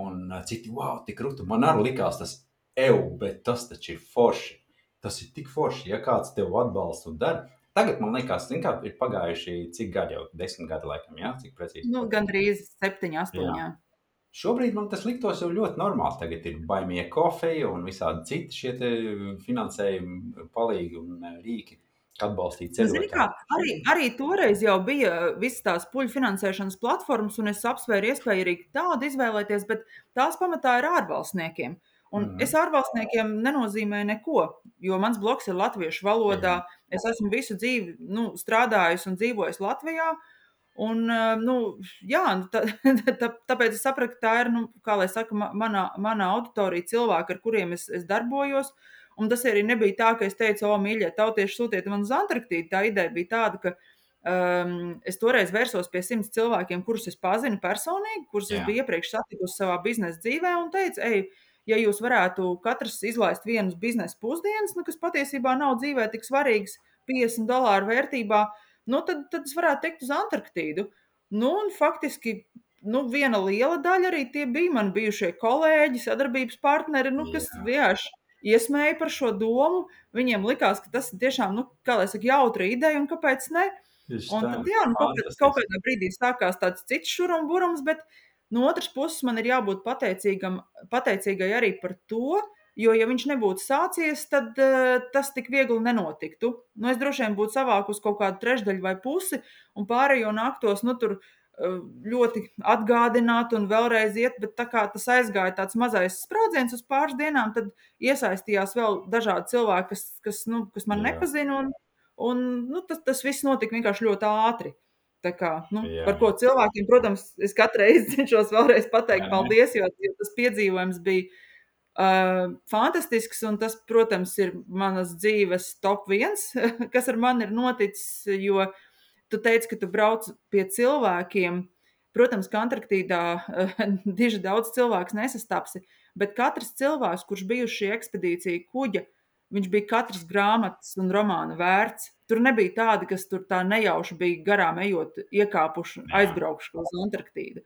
Un citi, wow, tik rutu. Man arī likās tas, ev, bet tas taču ir forši. Tas ir tik forši, ja kāds tev atbalsta un dara. Tagad, man liekas, zin kā, ir pagājuši cik gadi jau, desmit gadi laikam, jā? Cik precīzi? Nu, gandrīz septiņi, astoņi, jā. Šobrīd man tas liktos jau ļoti normāli. Tagad ir baimie kofeja un visādi citi šie te finansējumi palīgi un rīki, atbalstīt ceļotājiem. Zini kā, arī, arī toreiz jau bija visas tās puļu finansēšanas platformas, un es apsvēru iespēju arī tādu izvēlēties, bet tās pamatā ir ārvalstniekiem. Un mm. es ārvalstniekiem nenozīmēju neko, jo mans blogs ir latviešu valodā. Mm. Es esmu visu dzīvi nu, strādājusi un dzīvojusi Latvijā. Un, nu, jā, tā, tā, tāpēc es sapratu, ka tā ir, nu, kā lai saka, manā, manā auditorija cilvēki, ar kuriem es, es darbojos. Un tas arī nebija tā, ka es teicu, o, mīļie, tautieši sūtiet man uz Antarktīdu. Tā ideja bija tāda, ka um, es toreiz vērsos pie simts cilvēkiem, kurus es pazinu personīgi, kurus jā. Es biju iepriekš satikusi savā biznesa dzīvē un teicu, ej, ja jūs varētu katrs izlaist vienus biznesa pusdienas, nu, kas patiesībā nav dzīvē tik svarīgs, piecdesmit dolāru vērtībā, nu, tad, tad es varētu teikt uz Antarktīdu. Nu, un faktiski, nu, viena liela daļa arī tie bija mani bijušie kolēģi, sadarbības partneri, nu, kas vienkārši iesmēja par šo domu. Viņiem likās, ka tas ir tiešām, nu, kā lai saka, jautra ideja, un kāpēc ne? Un tad, jā, nu, kaut, kaut kādā brīdī sākās tāds cits šurumburums, bet no otras puses man ir jābūt pateicīgam, pateicīgai arī par to, jo, ja viņš nebūtu sācies, tad uh, tas tik viegli nenotiktu. Nu, es droši vien būtu savākus kaut kādu trešdaļu vai pusi, un pārējo nāktos, nu, tur uh, ļoti atgādināt un vēlreiz iet, bet tā kā tas aizgāja tāds mazais spraudziens uz pāris dienām, tad iesaistījās vēl dažādi cilvēki, kas, kas, nu, kas man Jā. nepazina, un, un nu, tas, tas viss notika vienkārši ļoti ātri. Tā kā, nu, jā, par ko cilvēkiem, protams, es katru reizi cenšos vēlreiz pateikt jā, paldies, jo, jo tas piedzīvojums bija uh, fantastisks, un tas, protams, ir manas dzīves top viens, kas ar mani ir noticis, jo tu teici, ka tu brauc pie cilvēkiem. protams, ka Antarktīdā diži daudz cilvēks nesastapsi, bet katrs cilvēks, kurš bija uz šī ekspedīcija kuģa, viņš bija katras grāmatas un romāna vērts. Tur nebija tādi, kas tur tā nejauši bija garām ejot, iekāpuši, Jā. aizbraukšu uz Antarktīdu.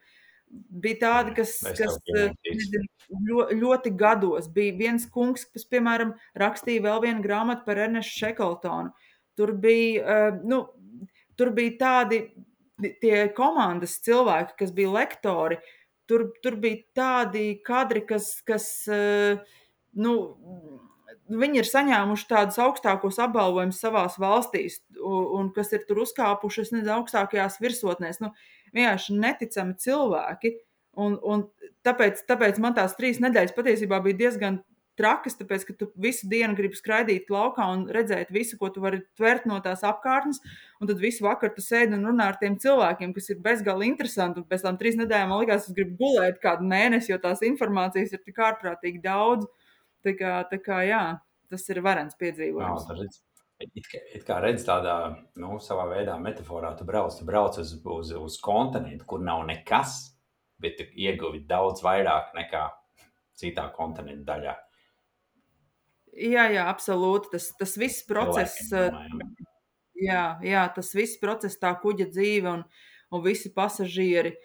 Bija tādi, kas, Es kas tev pieņemtīšu. nezinu, ļo, ļoti gados. Bija viens kungs, kas, piemēram, rakstīja vēl vienu grāmatu par Ernestu Šekeltonu. Tur bija, uh, nu, tur bija tādi tie komandas cilvēki, kas bija lektori. Tur, tur bija tādi kadri, kas, kas uh, nu, viņi ir saņēmuši tādus augstākos apbalvojumus savās valstīs, un, un kas ir tur uzkāpuši, es nezinu, augstākajās virsotnēs. Nu, vienkārši neticami cilvēki, un, un tāpēc, tāpēc man tās trīs nedēļas patiesībā bija diezgan trakas, tāpēc, ka tu visu dienu gribi skraidīt laukā un redzēt visu, ko tu vari tvert no tās apkārtnes, un tad visu vakaru tu sēdi un runā ar tiem cilvēkiem, kas ir bezgalīgi interesanti, un pēc tām trīs nedēļām man likās, es gribu gulēt kādu mēnesi, jo tās informācijas ir tik ārprātīgi daudz, tā kā, tā kā jā, tas ir varens piedzīvojums. Jā, It kā, it kā redz tādā, nu, savā veidā metaforā, tu brauc, tu brauc uz, uz, uz kontinentu, kur nav nekas, bet tu ieguvi daudz vairāk nekā citā kontinenta daļā. Jā, jā, absolūti. Tas, tas viss process, Cilvēkiem, jā, jā, tas viss process, tā kuģa dzīve un, un visi pasažieri.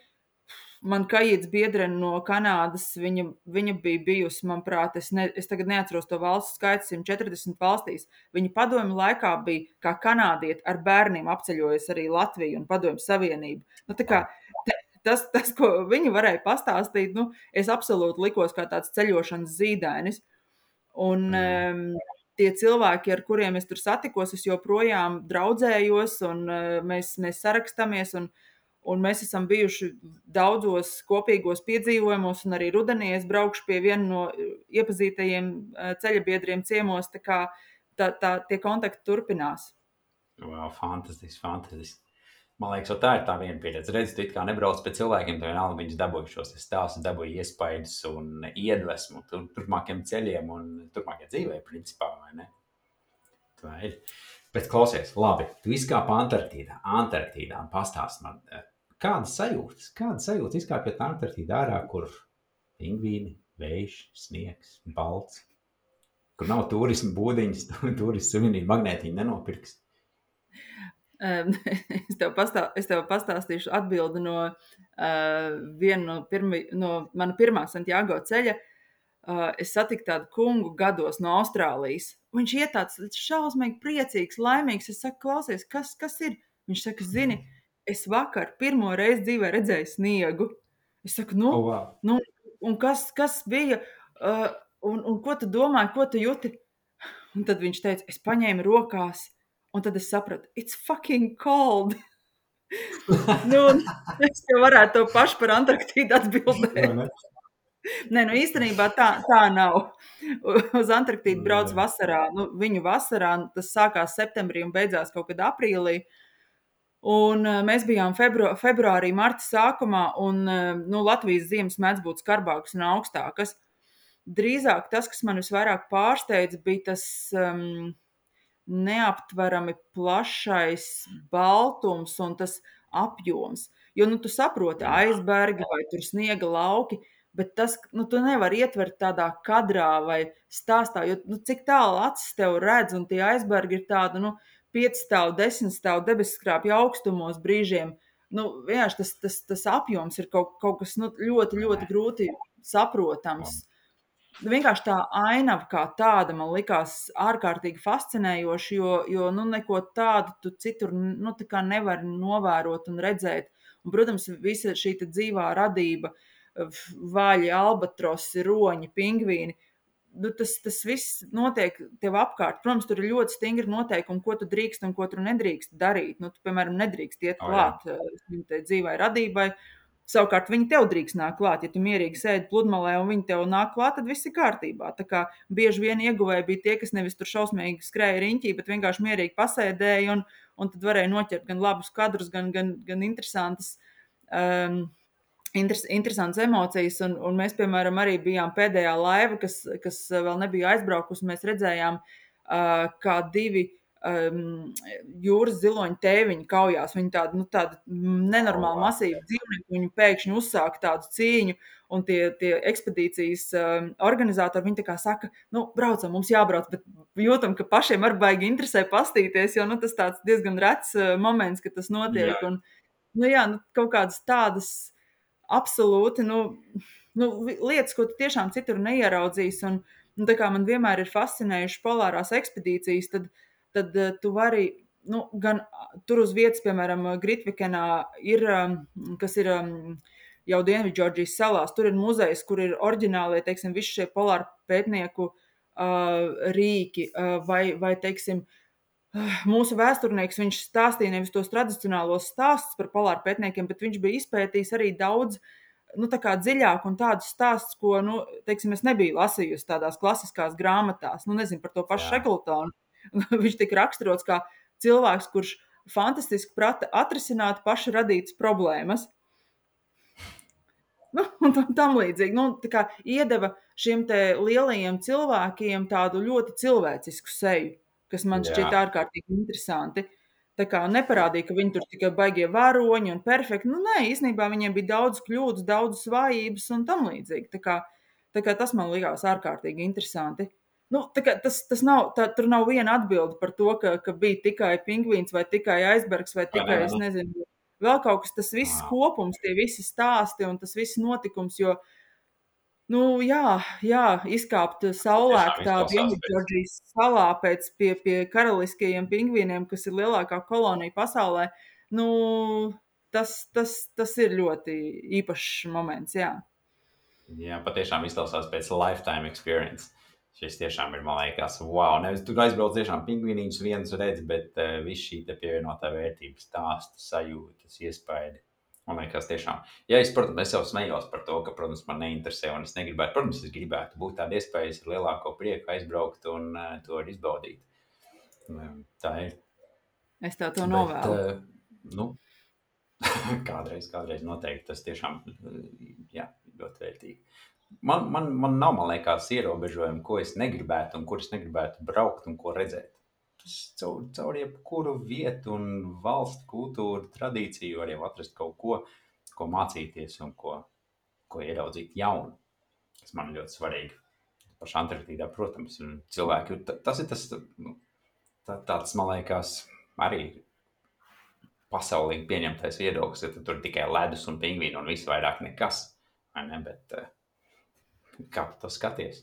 Man kaīts biedrene no Kanādas, viņa, viņa bija bijusi, manuprāt, es, ne, es tagad neatceros to valstu skaitu, simt četrdesmit valstīs. Viņa padomju laikā bija kā kanādieti ar bērniem apceļojusi arī Latviju un padomju savienību. Nu, tā kā, te, tas, tas, ko viņa varēja pastāstīt, nu, es absolūti likos kā tāds ceļošanas zīdainis. Un um, tie cilvēki, ar kuriem es tur satikos, es joprojām draudzējos un uh, mēs, mēs sarakstāmies un Un mēs esam bijuši daudzos kopīgos piedzīvojumos, un arī rudenī es braukšu pie viena no iepazītajiem ceļabiedriem ciemos, tā kā tā, tā, tie kontakti turpinās. Wow, fantastiski, fantastiski. Man liekas, tā ir tā viena pieredze. Redzi, tu it kā nebrauc pie cilvēkiem, tu vienalga viņus dabūji šos stāstus, dabūji iespaidus un iedvesmu tur, turpmākiem ceļiem un turpmākajai dzīvē, principā, vai ne? Tā ir. Bet klausies, labi, tu izkāpi Antarktīdā, Antarktīdā un pastāst man, kādas sajūtas, kādas sajūtas izkāpjot Antarktīdā ārā, kur pingvīni, vējš, sniegs, balts, kur nav turismu būdiņas, turismu suvenīru magnētiņu nenopirks? Um, es, tev pastā, es tev pastāstīšu atbildi no uh, viena no, pirmi, no mana pirmā Santiago ceļa. Uh, es satiku tādu kungu gados no Austrālijas. Viņš iet tāds šausmīgi priecīgs, laimīgs. Es saku, klausies, kas, kas ir? Viņš saka, zini, es vakar pirmo reizi dzīvē redzēju sniegu. Es saku, nu, Oh, wow. nu un kas, kas bija? Uh, un, un ko tu domāji, ko tu jūti? Un tad viņš teica, es paņēmu rokās, un tad es sapratu, it's fucking cold. Nu, es jau varētu to pašu par Antarktīdu atbildēt. Nē, nu īstenībā tā, tā nav. Uz Antarktīdu brauc vasarā, nu viņu vasarā, tas sākās septembrī un beidzās kaut kad aprīlī. Un mēs bijām febru, februārī, marta sākumā, un nu, Latvijas ziemas mēdz būt skarbākas un augstākas. Drīzāk tas, kas man visvairāk pārsteidza, bija tas um, neaptverami plašais baltums un tas apjoms. Jo, nu, tu saproti, aizbergi vai tur sniega lauki, bet tas, nu, tu nevari ietvert tādā kadrā vai stāstā, jo, nu, cik tālu acis tev redz, un tie aizbergi ir tādi, nu, piecstāvu, desmitstāvu debesskrāpju augstumos brīžiem. Nu, vienkārši tas, tas, tas apjoms ir kaut, kaut kas, nu, ļoti, ļoti grūti saprotams. Vienkārši tā ainava kā tāda man likās ārkārtīgi fascinējoši, jo, jo nu, neko tādu tu citur, nu, tā kā nevar novērot un redzēt. Un, protams, visa šī dzīvā radība, vaļi, albatrosi, roņi, pingvīni, nu, tas, tas viss notiek tev apkārt. Protams, tur ir ļoti stingri noteikumi, ko tu drīkst un ko tu nedrīkst darīt. Nu, tu, piemēram, nedrīkst iet klāt oh, dzīvai radībai. Savukārt viņi tev drīkst nāk klāt. Ja tu mierīgi sēdi pludmalē un viņi tev nāk klāt, tad viss ir kārtībā. Tā kā bieži vien ieguvēji bija tie, kas nevis tur šausmīgi skrēja riņķī, bet vienkārši mierīgi pasēdēja un, un tad varēja noķert gan labus kadrus, gan, gan, gan interesantas um, Interes, interesantas emocijas, un, un mēs, piemēram, arī bijām pēdējā laiva, kas, kas vēl nebija aizbraukusi, mēs redzējām, uh, kā divi um, jūras ziloņu tēviņu kaujās. Viņi tādi, nu, tādi Oh, nenormāli wow. masīvi dzīvnieki, viņi pēkšņi uzsāka tādu cīņu, un tie, tie ekspedīcijas um, organizatori, viņi tā kā saka, nu, braucam, mums jābrauc, bet jūtam, ka pašiem arī baigi interesē pastīties, jo, nu, tas tāds diezgan rets uh, moments, ka tas notiek, Jā, un, nu, jā, nu, kaut kādas tādas absolūti, nu, nu, lietas, ko tu tiešām citur neieraudzīsi, un, un tā kā man vienmēr ir fascinējuši polārās ekspedīcijas, tad, tad uh, tu vari, nu, gan tur uz vietas, piemēram, Gritvikenā ir, um, kas ir um, jau Dienvidžordžijas salās, tur ir muzejs, kur ir oriģinālie, teiksim, visi šie polāru pētnieku uh, rīki, uh, vai, vai, teiksim, mūsu vēsturnieks, viņš stāstīja nevis tos tradicionālos stāstus par polāru pētniekiem, bet viņš bija izpētījis arī daudz, nu, tā kā dziļāk un tādus stāstus, ko, nu, teiksim, es nebiju lasījusi tādās klasiskās grāmatās, nu, nezinu, par to pašu jā, Šekltonu. Viņš tika raksturots kā cilvēks, kurš fantastiski prata atrisināt paši radītas problēmas. Nu, un tam, tam līdzīgi. Nu, tā kā iedeva šiem te lielajiem cilvēkiem tādu ļoti cilvēcisku seju, kas man jā, šķiet ārkārtīgi interesanti. Tā kā neparādīja, ka viņi tur tikai baigie varoņi un perfekti. Nu, nē, īstenībā viņiem bija daudz kļūdas, daudz svājības un tam līdzīgi. Tā kā, tā kā tas man likās ārkārtīgi interesanti. Nu, tā kā tas, tas nav, tā, tur nav viena atbilde par to, ka, ka bija tikai pingvīns vai tikai aizbergs vai vai ne, tikai, vai es ne? nezinu, vēl kaut kas, tas viss Wow. kopums, tie visi stāsti un tas viss notikums, jo, nu, jā, jā, izkāpt Tas saulēktā tiešām izklausās pēc, Dienvidžordžijas salā pēc pie, pie karaliskajiem pingvīniem, kas ir lielākā kolonija pasaulē, nu, tas, tas, tas ir ļoti īpašs moments, jā. jā, patiešām izklausās pēc lifetime experience. Šis tiešām ir, man liekas, wow. Nevis tur aizbrauc tiešām pingvīniņus viens redz, bet uh, viss šī te pievienotā vērtība, stāsta, sajūtas, iespaidi. Man liekas, tiešām. Ja es, protams, es jau smējos par to, ka, protams, man neinteresē un es negribētu, protams, es gribētu būt tāda iespējas ar lielāko prieku aizbraukt un uh, to izbaudīt. Um, tā ir. Es tev to Bet, novēlu. uh, nu, kādreiz, kādreiz noteikti tas tiešām, jā, ļoti vērtīgi. Man, man, man nav, man liekas, ierobežojumi, ko es negribētu un kur es negribētu braukt un ko redzēt. Es caur, caur jebkuru vietu un valstu, kultūru, tradīciju var jau atrast kaut ko, ko mācīties un ko, ko ieraudzīt jaunu, kas man ļoti svarīgi. Pašā Antarktīdā, protams, un cilvēki, tas ir tas, nu, tā, tāds, man liekas, arī pasaulīgi pieņemtais viedoklis, ka tur tikai ledus un pingvīni un viss vairāk nekas, vai ne, bet kā tu to skaties?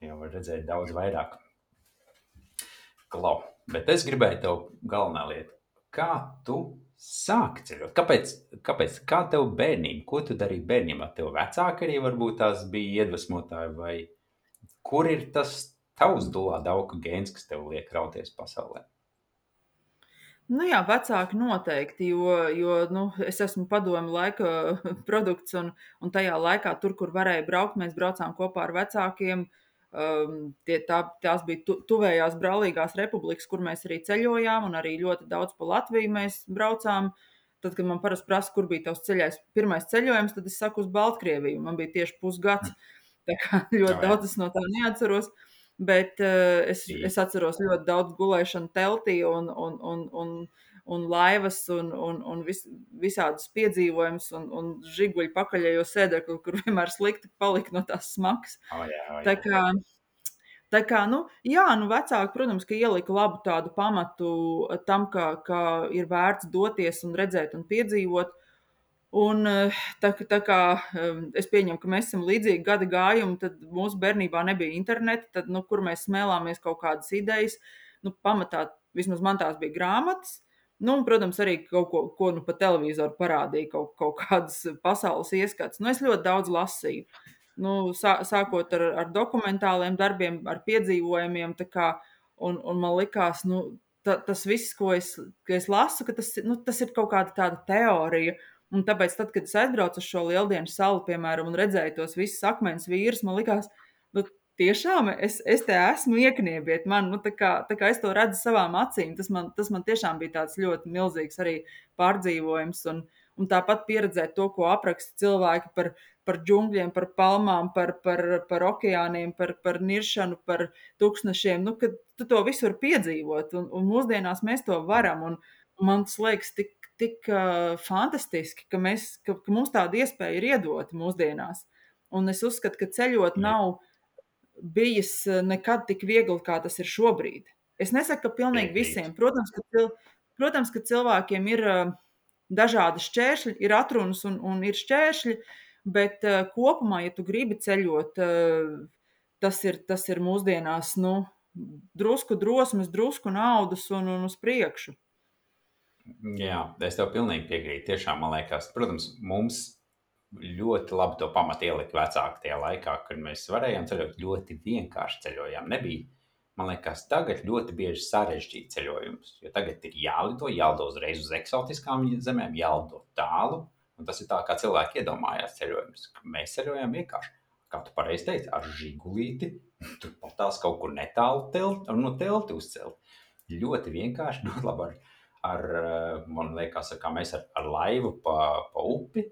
Jau var redzēt daudz vairāk. Klau. Bet es gribēju tev galvenā lieta. Kā tu sāki ceļot? Kāpēc, kāpēc? Kā tev bērnība? Ko tu darīji bērnībā? Tev vecāki arī varbūt tās bija iedvesmotāji vai kur ir tas tavs dulā dauka gēns, kas tev liek rauties pasaulē? Nu jā, vecāki noteikti, jo, jo nu, es esmu padomu laika produkts, un, un tajā laikā, tur, kur varēja braukt, mēs braucām kopā ar vecākiem. Um, tie, tā, tās bija tu, tuvējās brālīgās republikas, kur mēs arī ceļojām, un arī ļoti daudz pa Latviju mēs braucām. Tad, kad man parasti prasa, kur bija tavs ceļais, pirmais ceļojums, tad es saku uz Baltkrieviju. Man bija tieši pusgads, tā kā ļoti Jā, jā. daudz es no tā neatceros. Bet uh, es, es atceros ļoti daudz gulēšanu teltī un, un, un, un, un laivas un, un, un vis, visādus piedzīvojumus un, un žiguļu pakaļējo sēdekli, kur vienmēr slikti palika no tās smagas. Oh, jā, oh, jā. Tā kā, tā kā, nu, jā, nu vecāki, protams, ka ielika labu tādu pamatu tam, ka, ka ir vērts doties un redzēt un piedzīvot. Un tā, tā kā es pieņemu, ka mēs esam līdzīgi gada gājumi, tad mūsu bērnībā nebija interneta, tad, nu, kur mēs smēlāmies kaut kādas idejas, nu, pamatā, vismaz man tās bija grāmatas, nu, un, protams, arī kaut ko, ko nu, pa televizoru parādīja, kaut, kaut kādas pasaules ieskats. Nu, es ļoti daudz lasīju, nu, sā, sākot ar, ar dokumentāliem darbiem, ar piedzīvojumiem, tā kā, un, un man likās, nu, ta, tas viss, ko es, ko es lasu, ka tas, nu, tas ir kaut kāda tāda teorija. Un tāpēc, tad, kad es aizbraucu uz šo lieldienu salu, piemēram, un redzēju tos visus akmens vīrus, man likās, nu, tiešām es, es te esmu iekniebiet. Man, nu, tā kā, tā kā es to redzu savām acīm, tas man, tas man tiešām bija tāds ļoti milzīgs arī pārdzīvojums. Un, un tāpat pieredzēt to, ko apraksta cilvēki par, par džungļiem, par palmām, par, par, par okeāniem, par, par niršanu, par tūkstnešiem, nu, kad tu to visu var piedzīvot. Un, un mūsdienās mēs to varam. Un, un man tas liekas tik, tik uh, fantastiski, ka, mēs, ka, ka mums tāda iespēja ir iedota mūsdienās. Un es uzskatu, ka ceļot nav bijis nekad tik viegli, kā tas ir šobrīd. Es nesaku, ka pilnīgi visiem. Protams, ka, cil, protams, ka cilvēkiem ir uh, dažādi šķēršļi, ir atrunas un, un ir šķēršļi, bet uh, kopumā, ja tu gribi ceļot, uh, tas, ir, tas ir mūsdienās nu, drusku drosmes, drusku naudas un, un uz priekšu. Jā, es tev pilnīgi piekrītu. Tiešām, man liekas, protams, mums ļoti labi to pamatu ielika vecāki tajā laikā, kad mēs varējām ceļot, ļoti vienkārši ceļojām. Nebija, man liekas, tagad ļoti bieži sarežģīti ceļojums, jo tagad ir jālido, jālido uzreiz uz eksotiskām zemēm, jālido tālu, un tas ir tā, kā cilvēki iedomājās ceļojumus. Mēs ceļojām vienkārši, kā tu pareizi teici, ar žigulīti, tur pat tās kaut kur netālu telt, no telti uzcelt. Ļoti vienkārši, ļoti labi ar, ar man liekas, kā mēs ar, ar laivu pa, pa upi,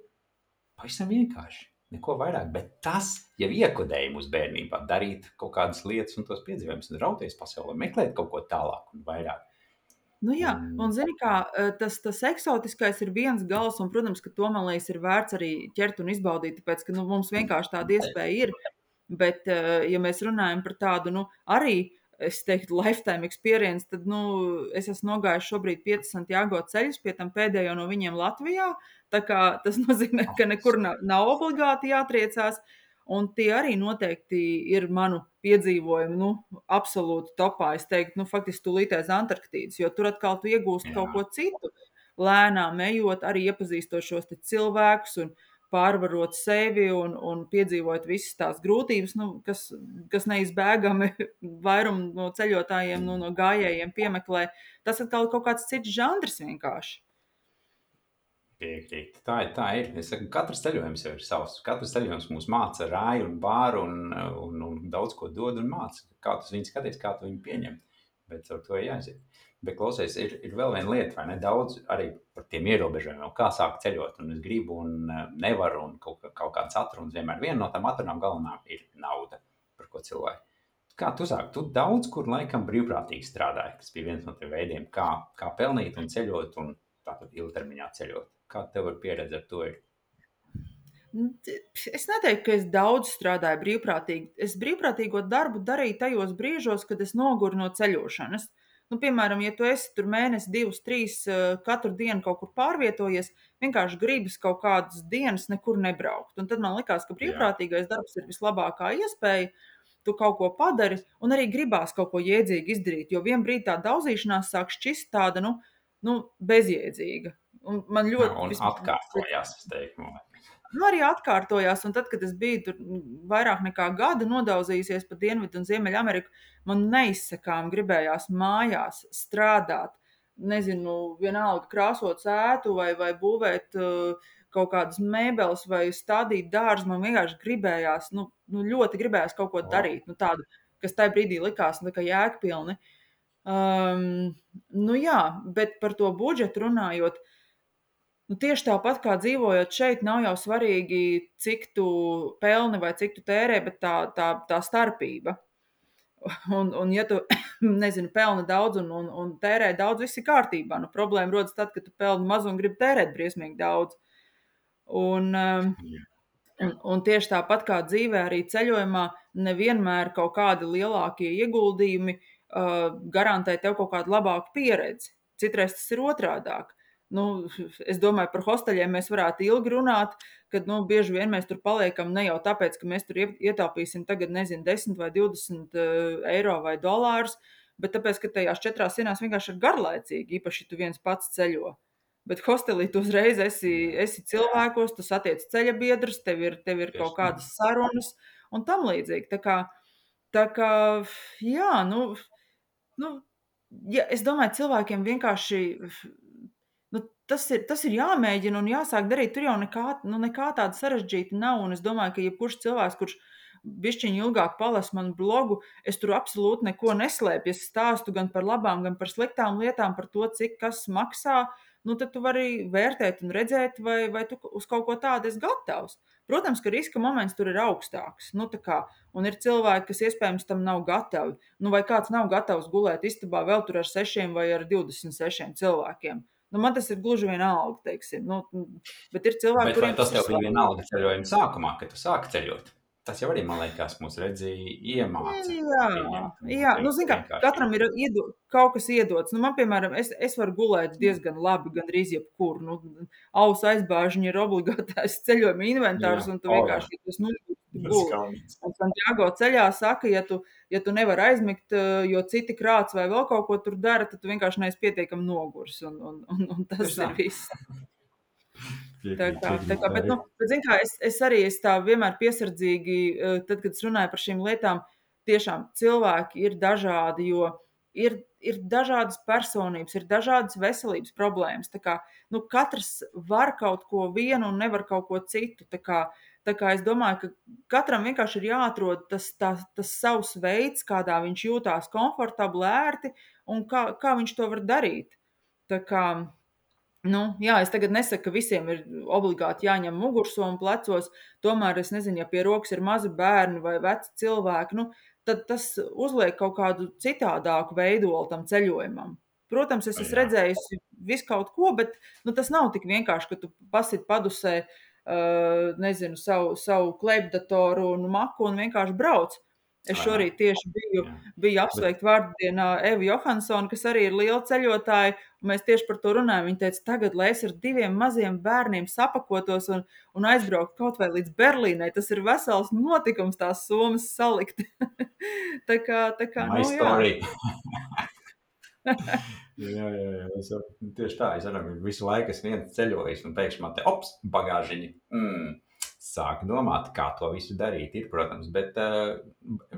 pavisam vienkārši, neko vairāk, bet tas jau iekodēja mūsu bērnībā darīt kaut kādas lietas un tos piedzīvojumus un rauties pasaulē, meklēt kaut ko tālāk un vairāk. Nu jā, un zini kā, tas, tas eksotiskais ir viens gals, un, protams, ka to, man liekas, ir vērts arī ķert un izbaudīt, tāpēc, ka nu, mums vienkārši tāda iespēja ir, bet, ja mēs runājam par tādu, nu, arī, es teiktu, lifetime experience, tad, nu, es esmu nogājuši šobrīd piecus Santiago ceļus, pie tam pēdējo no viņiem Latvijā, tā kā tas nozīmē, ka nekur nav, nav obligāti jātriecās, un tie arī noteikti ir manu piedzīvojumi, nu, absolūti topā. Es teiktu, nu, faktiski tūlītēs Antarktīdas, jo tur atkal tu iegūsti kaut ko citu. Lēnām ejot, arī iepazīstot šos te cilvēkus un pārvarot sevi un, un piedzīvot visas tās grūtības, nu, kas, kas neizbēgami vairumu no ceļotājiem, nu, no gājējiem piemeklē. Tas atkal kaut kāds cits žanrs vienkārši. Piekrīt. Tā ir, tā ir. Es saku, katrs ceļojums jau ir savs. Katrs ceļojums mūs māca rāju un bāru un, un, un daudz ko dod un māca. Kā tu viņu skaties, kā tu viņu pieņem. Bet ar to jāiziet. Bet klausies, ir, ir vēl viena lieta, vai ne? Daudz arī par tiem ierobežojumiem, kā sākt ceļot. Un es gribu un nevaru un kaut, kaut kāds atrunas. Vienmēr viena no tām atrunām galvenām ir nauda, par ko cilvēki. Kā tu sāki? Tu daudz kur laikam brīvprātīgi strādāji. Tas bija viens no tiem veidiem, kā, kā pelnīt un ceļot un tātad ilgtermiņā ceļot. Kā tev ar pieredzi ar to ir? Es neteiktu, ka es daudz strādāju brīvprātīgi. Es brīvprātīgo darbu darīju tajos brīžos, kad es noguru no ceļošanas. Nu, piemēram, ja tu esi tur mēnesi, divus, trīs, katru dienu kaut kur pārvietojies, vienkārši gribas kaut kādas dienas nekur nebraukt. Un tad man likās, ka brīvprātīgais darbs ir vislabākā iespēja. Tu kaut ko padari un arī gribās kaut ko jēdzīgi izdarīt, jo vien brīdī tā daudzīšanās sāk šķist tāda, nu, nu bezjēdzīga. Un man ļoti... Un vismaz, atkārtojās, es teiktu. Nu, arī atkārtojās, un tad, kad es biju tur vairāk nekā gadu nodauzījusies pa Dienvidu un Ziemeļu Ameriku, man neizsakām gribējās mājās strādāt, nezinu, vienalga krāsot ētu vai, vai būvēt uh, kaut kādas mēbeles vai stādīt dārzu, man vienkārši gribējās, nu, nu ļoti gribējās kaut ko darīt, nu tādu, kas tajā brīdī likās, nu, tā kā jēgpilni. Um, nu jā, bet par to budžetu runājot, nu, tieši tāpat kā dzīvojot šeit, nav jau svarīgi, cik tu pelni vai cik tu tērē, bet tā, tā, tā starpība. Un, un ja tu, nezinu, pelni daudz un, un, un tērē daudz, viss ir kārtībā. Nu, problēma rodas tad, kad tu pelni maz un gribi tērēt briesmīgi daudz. Un, un, un tieši tāpat kā dzīvē, arī ceļojumā nevienmēr kaut kādi lielākie ieguldījumi uh, garantē tev kaut kādu labāku pieredzi. Citreiz tas ir otrādāk. Nu, es domāju, par hosteļiem mēs varētu ilgi runāt, kad nu, bieži vien mēs tur paliekam ne jau tāpēc, ka mēs tur ietaupīsim tagad, nezinu, desmit vai divdesmit eiro vai dolārus, bet tāpēc, ka tajās četrās dienās vienkārši ir garlaicīgi, īpaši tu viens pats ceļo. Bet hostelī tu uzreiz esi, esi cilvēkos, tu satiec ceļa biedrus, tev ir, tev ir kaut kādas sarunas un tam līdzīgi. Tā kā, tā kā jā, nu, nu ja, es domāju, cilvēkiem vienkārši... Nu, tas, ir, tas ir jāmēģina un jāsāk darīt. Tur jau nekā, nu, nekā tāda sarežģīta nav. Un es domāju, ka jebkurš cilvēks, kurš bišķiņi ilgāk palasu manu blogu, es tur absolūti neko neslēpju. Es stāstu gan par labām, gan par sliktām lietām, par to, cik kas maksā. Nu, tad tu vari vērtēt un redzēt, vai, vai tu uz kaut ko tādu esi gatavs. Protams, ka riska moments tur ir augstāks. Nu, tā kā, un ir cilvēki, kas iespējams tam nav gatavi. Nu, vai kāds nav gatavs gulēt istabā vēl tur ar sešiem vai ar divdesmit sešiem cilvēkiem. Nu, man tas ir gluži vienalga, teiksim. Nu, bet ir cilvēki, Bet vai kuriem tas tas ir tev bija svarīgi. vienalga ceļojuma sākumā, kad tu sāki ceļot? Tas jau arī, man liekas, mūs redzēja iemāca. Jā, pieņemt un jā. Nu, teikt zini kā, vienkārši. katram ir iedo, kaut kas iedots. Nu, man, piemēram, es, es varu gulēt diezgan labi, gandrīz jebkur. Nu, auss aizbāžiņi ir obligātais ceļojuma inventārs, Jā. un tu O, jā. vienkārši, ja tu snuļi, tu guli. Skauns. Un Santiago ceļā saka, ja tu, ja tu nevari aizmigt, eh, jo citi krāts vai vēl kaut ko tur dara, tad tu vienkārši neesi pietiekami nogurs, un, un, un, un tas Tieši tā. ir viss. Tā Piekrīt, kā, tā piekrīt, kā, bet, arī. nu, bet, zin kā, es, es arī es tā vienmēr piesardzīgi, eh, tad, kad es runāju par šīm lietām, tiešām cilvēki ir dažādi, jo ir, ir dažādas personības, ir dažādas veselības problēmas. Tā kā, nu, katrs var kaut ko vienu un nevar kaut ko citu. Tā kā, tā kā es domāju, ka katram vienkārši ir jāatrod tas, tā, tas savs veids, kādā viņš jūtās komfortabli, ērti, un kā, kā viņš to var darīt. Tā kā, nu, jā, es tagad nesaku, ka visiem ir obligāti jāņem mugursoma plecos, tomēr es nezinu, ja pie rokas ir mazi bērni vai veci cilvēki, nu, tad tas uzliek kaut kādu citādāku veidolu tam ceļojumam. Protams, es esmu Jā. redzējusi visu kaut ko, bet nu, tas nav tik vienkārši, ka tu pasit padusē, uh, nezinu, savu, savu klēpdatoru un maku un vienkārši brauc. Es Vai ne? šorīt tieši biju, Jā. biju apsveikt vārdienā Evu Johansonu, kas arī ir liela ceļotāja, un mēs tieši par to runājam. Viņa teica, tagad, lai es ar diviem maziem bērniem sapakotos un, un aizbrauktu kaut vai līdz Berlīnai, tas ir vesels notikums tās somas salikt. tā kā, tā kā, My nu jā. story. jā, jā, jā. Es jau, tieši tā, es arī visu laiku esmu viens ceļojis, un pēkšņi man te, ops, bagāžiņi. Mm. Sāk domāt, kā to visu darīt, ir, protams, bet... Uh,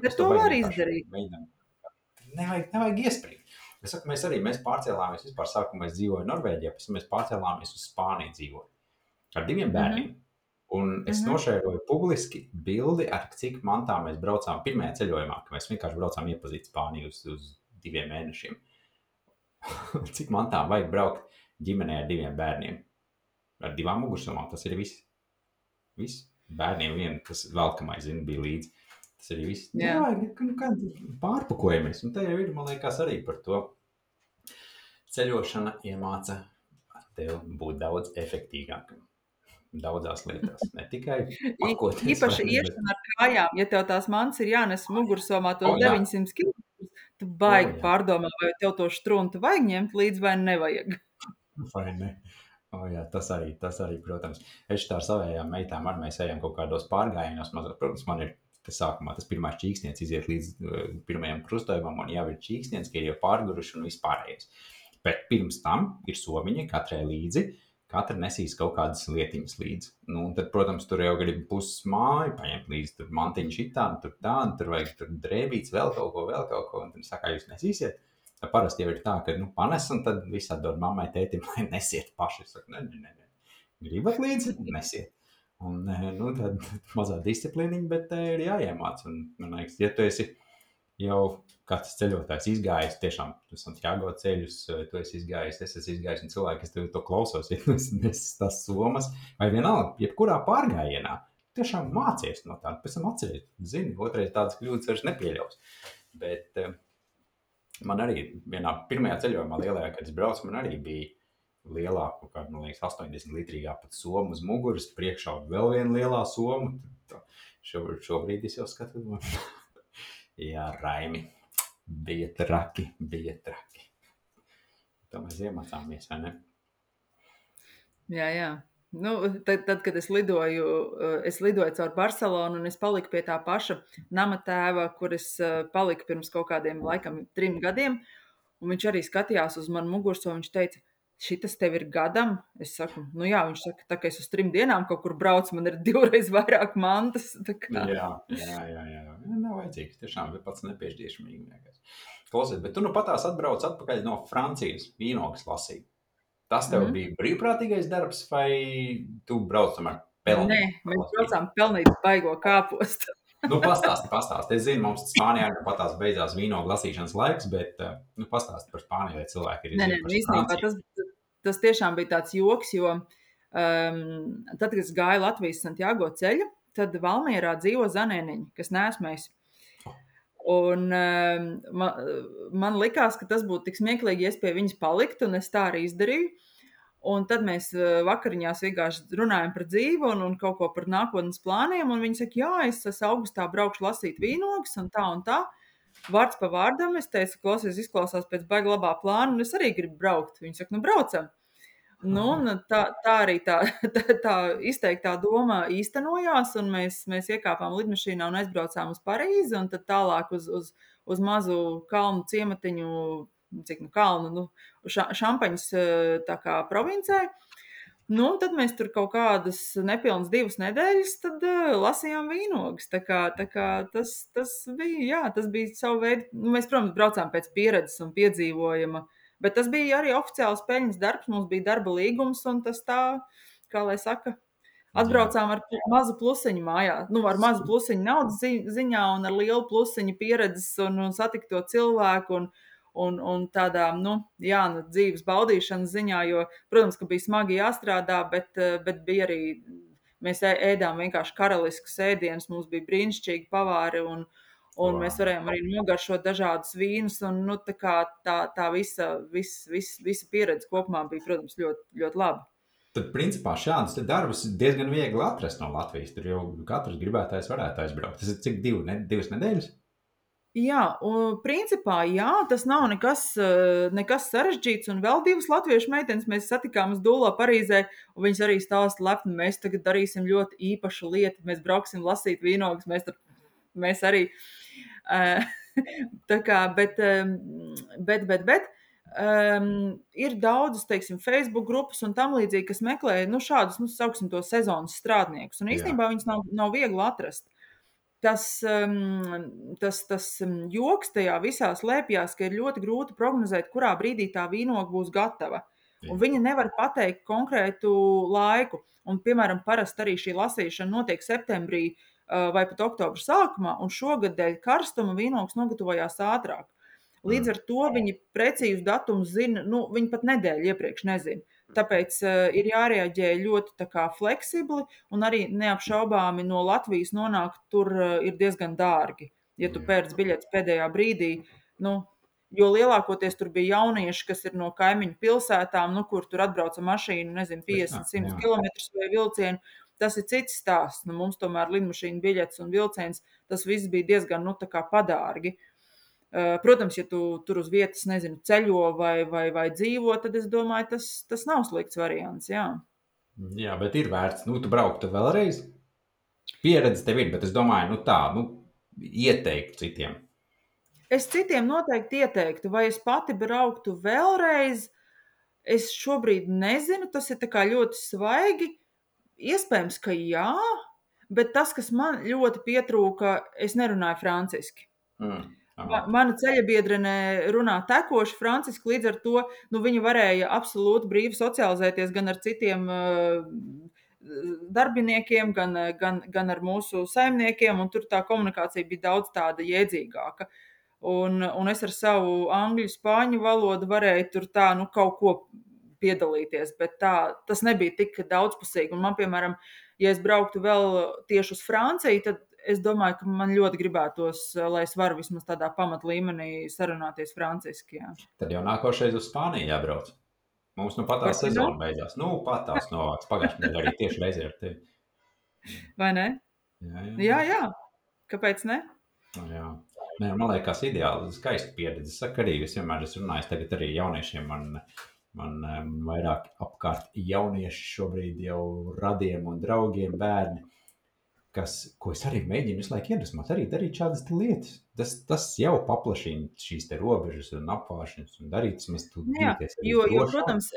Bet to var izdarīt. Mēģinām. Nevajag, nevajag iesprīt. Es saku, mēs arī, mēs pārcēlāmies, vispār sākumā mēs dzīvoju Norvēģijā, pēc tam mēs pārcēlāmies uz Spāniju dzīvot. Ar diviem bērniem. Un es Mhm. nošēroju publiski bildi, ar cik mantā mēs braucām pirmajā ceļojumā, ka mēs vienkārši braucām iepazīt Spāniju uz, uz diviem mēnešiem. Cik mantām vajag braukt ģimenē ar diviem bērniem? Ar divām mugursomām, tas ir viss. Viss. Bērniem vien, kas velkamais, zinu, bija līdzi. Tas arī viss. Jā. Jā, kā pārpakojamies. Un te jau ir, man liekas, arī par to. Ceļošana iemāca tev būt daudz efektīgākam. Daudzās lietās. Ne tikai pakoties. Īpaši vai ne, bet- iešana ar kājām, ja tev tās mans ir jānes mugursomā tos O, jā. deviņsimt kilometrus, tu baigi O, jā. pārdomā, vai tev to štruntu vajag ņemt līdzi vai nevajag. Vai ne? O, jā, tas arī, tas arī, protams. Es tā ar savējām meitām arī mēs ejam kaut kādos pārgājienos. Mazot, protams, man ir tas sākumā tas pirmais čīksniens iziet līdz uh, pirmajam krustojumam, un jau ir čīksniens, ka ir jau pārguruši un vispārējais. Bet pirms tam ir somiņi katrai līdzi, katra nesīs kaut kādas lietiņas līdzi. Nu, un tad, protams, tur jau grib puses māju paņemt līdzi, tur mantiņu šitā, tur tā, un tur vajag tur drēbīts, vēl kaut ko, vēl kaut ko, un tad saka, jūs nesīsiet. Tā parasti jau ir tā, ka nu, panes un tad visā dod mammai, tētim, lai nesiet paši. Es saku, ne, ne, ne, ne. Gribat līdzi? Nesiet. Un, nu, tad mazā disciplīniņa, bet ir jāiemāc. Un, man liekas, ja tu esi jau kāds ceļotājs izgājis, tiešām, tu Santiago ceļus, tu esi izgājis, es esmu izgājis, un cilvēki, kas tev to klausos, ja es nesu tās somas, vai vienalga, jebkurā pārgājienā, tiešām mācies no tā, pēc tam atceries, zini, otrais tādas kļūdas vairs nepieļaus. Bet man arī vienā pirmajā ceļojumā lielajā, kad es braucu, man arī bija lielāka, kā, man liekas, astoņdesmit litrīgā pat soma uz muguras, priekšā vēl viena lielā soma. Šobrīd, šobrīd es jau skatu. Jā, Raimi, bija traki, bija traki. Tā mēs iemācāmies, vai ne? Jā, jā. Nu, tad, tad, kad es lidoju, es lidoju caur Barcelonu un es paliku pie tā paša nama tēva, kur es paliku pirms kaut kādiem laikam trim gadiem, un viņš arī skatījās uz manu mugursomu, viņš teica, šitas tev ir gadam? Es saku, nu jā, viņš saka, tā kā es uz trim dienām kaut kur braucu, man ir divreiz vairāk mantas. Tā kā. Jā, jā, jā, jā. Nav vajadzīgs, tiešām ir pats nepiešķiešamīgi. Klausies, bet tu nu patās atbrauc atpakaļ no Francijas vīnogas lasīt. Tas tev mm. bija brīvprātīgais darbs, vai tu brauc tomēr pelnīt? Nē, mēs braucām pelnīt baigo kāpostu. Nu, pastāsti, pastāsti. Es zinu, mums Spānijā nu pat tās beidzās vīnogu lasīšanas laiks, bet, uh, nu, pastāsti par Spāniju, lai cilvēki arī Nē, nē, zina nu par īstenībā Franciju. tas, tas tiešām bija tāds joks, jo um, tad, kad es gāju Latvijas Santiago ceļu, tad Valmierā dzīvo zanēniņi, kas neesmu es. Un um, man, man likās, ka tas būtu tik smieklīgi, ja es pie viņas paliktu, un es tā arī izdarīju. Un tad mēs uh, vakariņās vienkārši runājam par dzīvi un, un kaut ko par nākotnes plāniem, un viņi saka, jā, es esmu augustā braukšu lasīt vīnogas un tā un tā. Vārds pa vārdam, es teicu, klausies, izklausās pēc baigi labā plāna, un es arī gribu braukt. Viņi saka, nu braucam. Nu, un tā, tā arī tā, tā, tā izteiktā doma īstenojās, un mēs, mēs iekāpām lidmašīnā un aizbraucām uz Parīzi, un tad tālāk uz, uz, uz mazu kalnu ciematiņu, cik nu kalnu, nu, ša, Šampaņas tā kā provincē. Nu, tad mēs tur kaut kādas nepilnas divas nedēļas tad, uh, lasījām vīnogas. Tā kā, tā kā tas, tas bija, jā, tas bija savu veidu. Nu, mēs, protams, braucām pēc pieredzes un piedzīvojuma, bet tas bija arī oficiāls peļņas darbs. Mums bija darba līgums, un tas tā, kā lai saka, atbraucām ar mazu plusiņu mājā. Nu, ar mazu plusiņu naudas zi ziņā un ar lielu plusiņu pieredzes un, un satikto cilvēku un, un, un tādā, nu, jā, nu, dzīves baudīšanas ziņā, jo, protams, ka bija smagi jāstrādā, bet, bet bija arī, mēs ēdām vienkārši karaliskus ēdienus, mums bija brīnišķīgi pavāri un, un wow. Mēs varējām arī nogaršot dažādus vīnus un, nu, tā kā tā, tā visa, vis, vis, visa pieredze kopumā bija, protams, ļoti, ļoti laba. Tad, principā, šādus darbus diezgan viegli atrast no Latvijas. Tur jau katrs gribētājs varētu aizbraukt. Tas ir cik divi, ne, divas nedēļas? Jā, un principā, jā, tas nav nekas, nekas sarežģīts. Un vēl divas latviešu meitenes mēs satikām uz Dūlo Parīzē, un viņas arī stāsta lepni, mēs tagad darīsim ļoti īpašu lietu. Mēs brauksim lasīt vīnogas, mēs, tur, mēs arī. Tā kā, bet, bet, bet, bet. Um, ir daudzas, teiksim, Facebook grupas un tam līdzīgi, kas meklē, nu, šādus, nu, sauksim to sezonas strādniekus. Un īstenībā Jā. Viņas nav, nav viegli atrast. Tas, um, tas, tas joks tajā visā slēpjās, ka ir ļoti grūti prognozēt, kurā brīdī tā vīnoga būs gatava. Jā. Un viņa nevar pateikt konkrētu laiku. Un, piemēram, parasti arī šī lasīšana notiek septembrī uh, vai pat oktobra sākumā, un šogad dēļ karstuma vīnogas nogatavojās ātrāk. Līdz ar to viņi precīzu datumu zina, nu, viņi pat nedēļu iepriekš nezina. Tāpēc uh, ir jārēģē ļoti tā kā fleksibli, un arī neapšaubāmi no Latvijas nonākt tur uh, ir diezgan dārgi. Ja tu pērc biļetes pēdējā brīdī, nu, jo lielākoties tur bija jaunieši, kas ir no kaimiņu pilsētām, nu, kur tur atbrauca mašīnu, nezinu, piecdesmit, simt kilometrus vai vilcienu. Tas ir cits stāsts. Nu, mums tomēr lidmašīna biļetes un vilciens, tas viss bija diezgan, nu, tā kā padārgi. Protams, ja tu tur uz vietas, nezinu, ceļo vai, vai, vai dzīvo, tad es domāju, tas, tas nav slikts variants, jā. Jā, bet ir vērts, nu, tu brauktu vēlreiz? Pieredze tev ir, bet es domāju, nu tā, nu, ieteikt citiem. Es citiem noteikti ieteiktu, vai es pati brauktu vēlreiz, es šobrīd nezinu, tas ir tā kā ļoti svaigi, iespējams, ka jā, bet tas, kas man ļoti pietrūka, es nerunāju franciski. Mm. Mana ceļabiedrene runā tekoši franciski, līdz ar to nu, viņa varēja absolūti brīvi socializēties gan ar citiem uh, darbiniekiem, gan, gan, gan ar mūsu saimniekiem, un tur tā komunikācija bija daudz tāda jēdzīgāka. Un, un es ar savu angļu, spāņu valodu varēju tur tā, nu, kaut ko piedalīties, bet tā, tas nebija tik daudzpusīgi. Un man, piemēram, ja es brauktu vēl tieši uz Franciju, tad es domāju, ka man ļoti gribētos, lai es varu vismaz tādā pamat līmenī sarunāties franciski. Jā. Tad jau nākošais uz Spāniju jābrauc. Mums nu pat tā sezona beidzās. Nu, pat tās novāks. Pagājušajā nedēļā arī tieši reizē ar tevi. Vai ne? Jā, jā. jā, jā. Kāpēc ne? Jā. Nē, man liekas ideāli, skaista pieredze. Saka arī, es vienmēr esmu runājis tagad arī jauniešiem, man, man vairāk apkārt jaunieši šobrīd jau radiem un draugiem bērni. Kas, ko es arī mēģinu visu laiku iedvesmot, arī darīt šādas lietas. Tas, tas jau paplašina šīs te robežas un apvāršanas un darīt, mēs tu Jā, jo, jo, protams,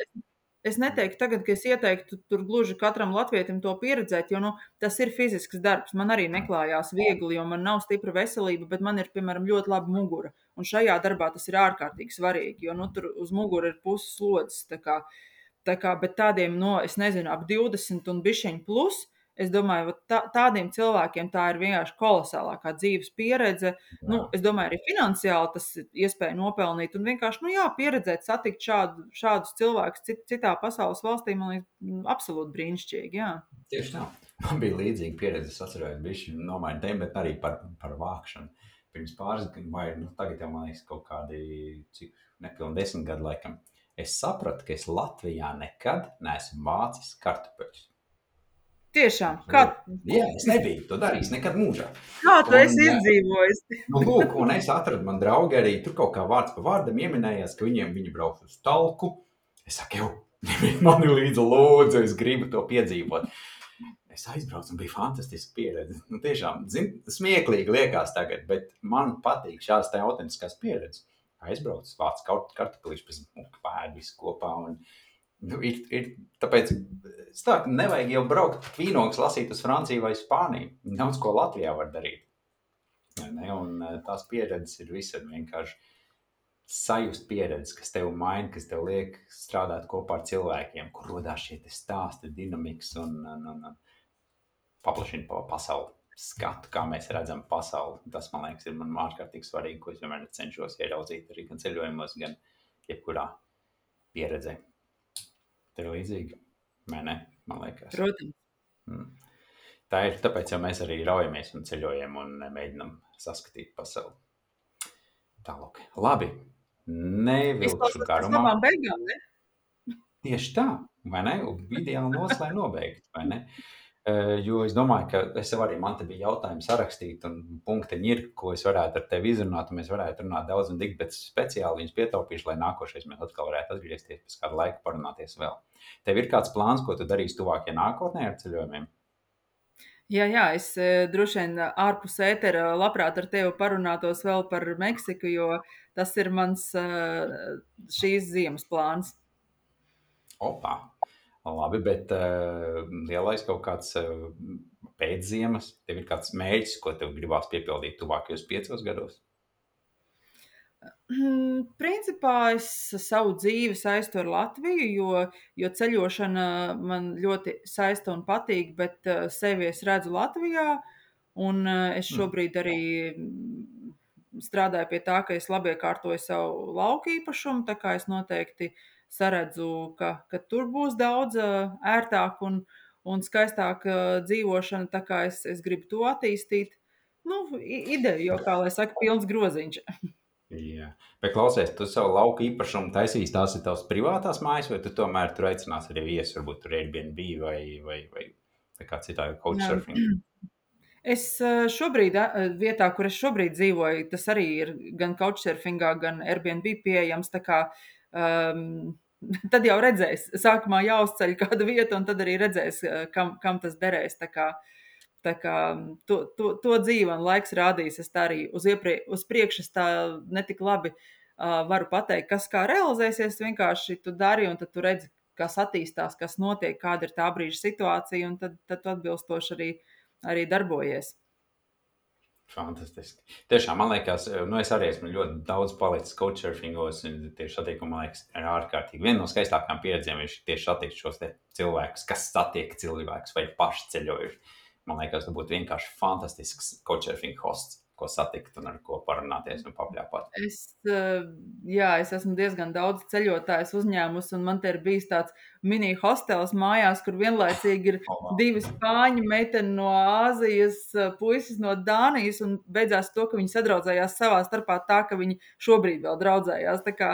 es neteiktu tagad, ka es ieteiktu tur gluži katram latvietim to pieredzēt, jo, nu, tas ir fizisks darbs. Man arī neklājās viegli, jo man nav stipra veselība, bet man ir, piemēram, ļoti laba mugura. Un šajā darbā tas ir ārkārtīgi svarīgi, jo, nu, tur uz mugura ir puses slodzes, tā kā, tā kā, bet tādiem, no, es nezinu, ap divdesmit un bišķiņ plus, es domāju, vat tā tādiem cilvēkiem tā ir vienkārši kolosālākā dzīves pieredze. Nu, Jā, es domāju, arī finansiāli tas ir iespēja nopelnīt un vienkārši, nu jā, pieredzēt, satikt šādu šādus cilvēkus cit citā pasaules valstī, man liekas, mm, absolūti brīnišķīgi, jā. tieši tā. Man bija līdzīga pieredze, es atceros, bišķi nomainu tēmu, bet arī par, par vākšanu. Pirms pāris gadiem, vai nu, tagad jau man liekas kaut kādi, cik nepilni desmit gadu laikam, es sapratu, ka es Latvijā nekad neesmu vācis kartupeļus. Tiešām, kā, Jā, es nebiju to darījis nekad mūžā. kā tu Un, esi izdzīvojis? nu, lūk, un es atradu man draugi arī, tur kaut kā vārds pa vārdam ieminējās, ka viņiem viņi brauc uz talku. Es saku, jau, man ir līdzi lūdzu, es gribu to piedzīvot. Es aizbraucu un bija fantastiska pieredze. Nu, tiešām, zin, smieklīgi liekas tagad, bet man patīk šās te autentiskās pieredzes. Aizbraucu, vāc kaut kartupelīšu, pēc tam pēd visu kopā un nu, ir, ir, tāpēc tā, nevajag jau braukt vīnogas lasīt uz Franciju vai Spāniju. Daudz ko Latvijā var darīt. Ne? Un tās pieredzes ir visur vienkārši sajust pieredzes, kas tev maina, kas tev liek strādāt kopā ar cilvēkiem, kur rodās šie te stāsti, dinamikas un, un, un, un paplašina pa pasauli skatu, kā mēs redzam pasauli. Tas, man liekas, ir man ārkārtīgi svarīgi, ko es vienmēr cenšos ieraudzīt arī gan ceļojumos, gan jebkurā pieredzē. Tev ir līdzīgi, vai ne? Man liekas. Protams. Mm. Tā ir, tāpēc jau mēs arī raujamies un ceļojam un mēģinam saskatīt pasauli. Tālāk. Labi. Nevilkšu Izklausās pēc garumā. labām beigām, ne? Tieši tā, vai ne? Ideāli noslēgt nobeigt, vai ne? Uh, jo es domāju, ka es jau arī, man te bija jautājumi sarakstīt un punktiņi ir, ko es varētu ar tevi izrunāt, un mēs varētu runāt daudz un dik, bet speciāli viņus pietaupīšu, lai nākošais mēs atkal varētu atgriezties pēc kādu laiku parunāties vēl. Tev ir kāds plāns, ko tu darīsi tuvākajā nākotnē ar ceļojumiem? Jā, jā, es e, droši vien ārpus ētera labprāt ar tevi parunātos vēl par Meksiku, jo tas ir mans e, šīs ziemas plāns. Opā, labi, bet uh, lielais kaut kāds uh, pēcziemas, tev ir kāds mērķis, ko tev gribās piepildīt tuvākajos piecos gados? Mm, Principā es savu dzīvi saistu ar Latviju, jo, jo ceļošana man ļoti saista un patīk, bet uh, sevi es redzu Latvijā, un uh, es šobrīd arī mm, strādāju pie tā, ka es labi iekārtoju savu lauku īpašumu, tā kā es noteikti saredzu, ka, ka tur būs daudz uh, ērtāk un, un skaistāk uh, dzīvošana, tā kā es, es gribu to attīstīt. Nu, i- ideja jau, kā lai saka, pilns groziņš. Jā, bet klausies, tu savu lauku īpašumu taisīs, tās ir tavas privātās mājas, vai tu tomēr tur aicinās arī viesus, varbūt tur Airbnb vai, vai, vai, vai kā citādi couchsurfing? Es eh, šobrīd, eh, vietā, kur es šobrīd dzīvoju, tas arī ir gan couchsurfingā, gan Airbnb pieejams. Tā kā, um, tad jau redzēs, sākumā jāuzceļ kāda vieta, un tad arī redzēs, eh, kam, kam tas derēs. Tā kā, tā kā to, to, to dzīve un laiks rādīs. Es tā arī uz, ieprie, uz priekšu es tā netik labi uh, varu pateikt, kas kā realizēsies. Vienkārši tu dari, un tad tu redzi, kas attīstās, kas notiek, kāda ir tā brīža situācija, un tad, tad tu atbilstoši arī arī darbojies. Fantastiski. Tiešām, man liekas, nu es arī esmu ļoti daudz palicis couchsurfingos, un tieši satiekumi, man liekas, ir ārkārtīgi. Viena no skaistākām pieredzēm ir tieši satiekt šos te cilvēkus, kas satiek cilvēkus vai paši ceļojuši. Man liekas, tas būtu vienkārši fantastisks couchsurfing hosts, ko satikt un ar ko parunāties un papļāpāt. Es, eh, jā, es esmu diezgan daudz ceļotājs uzņēmusi, un man te ir bijis tāds mini hostels mājās, kur vienlaicīgi ir Oh, divi spāņu meiteni no Āzijas, eh, puisis no Dānijas, un beidzās to, ka viņi sadraudzējās savā starpā tā, ka viņi šobrīd vēl draudzējās. Tā kā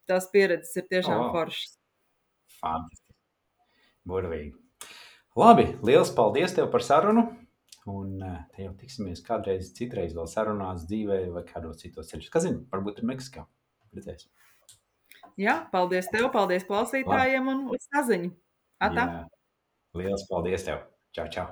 tās pieredzes ir tiešām oh, foršas. fantastiski. Burvīgi. Labi, liels paldies tev par sarunu. Un te jau tiksimies kādreiz citreiz vēl sarunās dzīvē vai kādos citos ceļos. Kas zina, varbūt ir Meksikā. Redzēsim. Jā, paldies tev, paldies klausītājiem un uz saziņu. Atā! Jā, liels paldies tev. Čau, čau.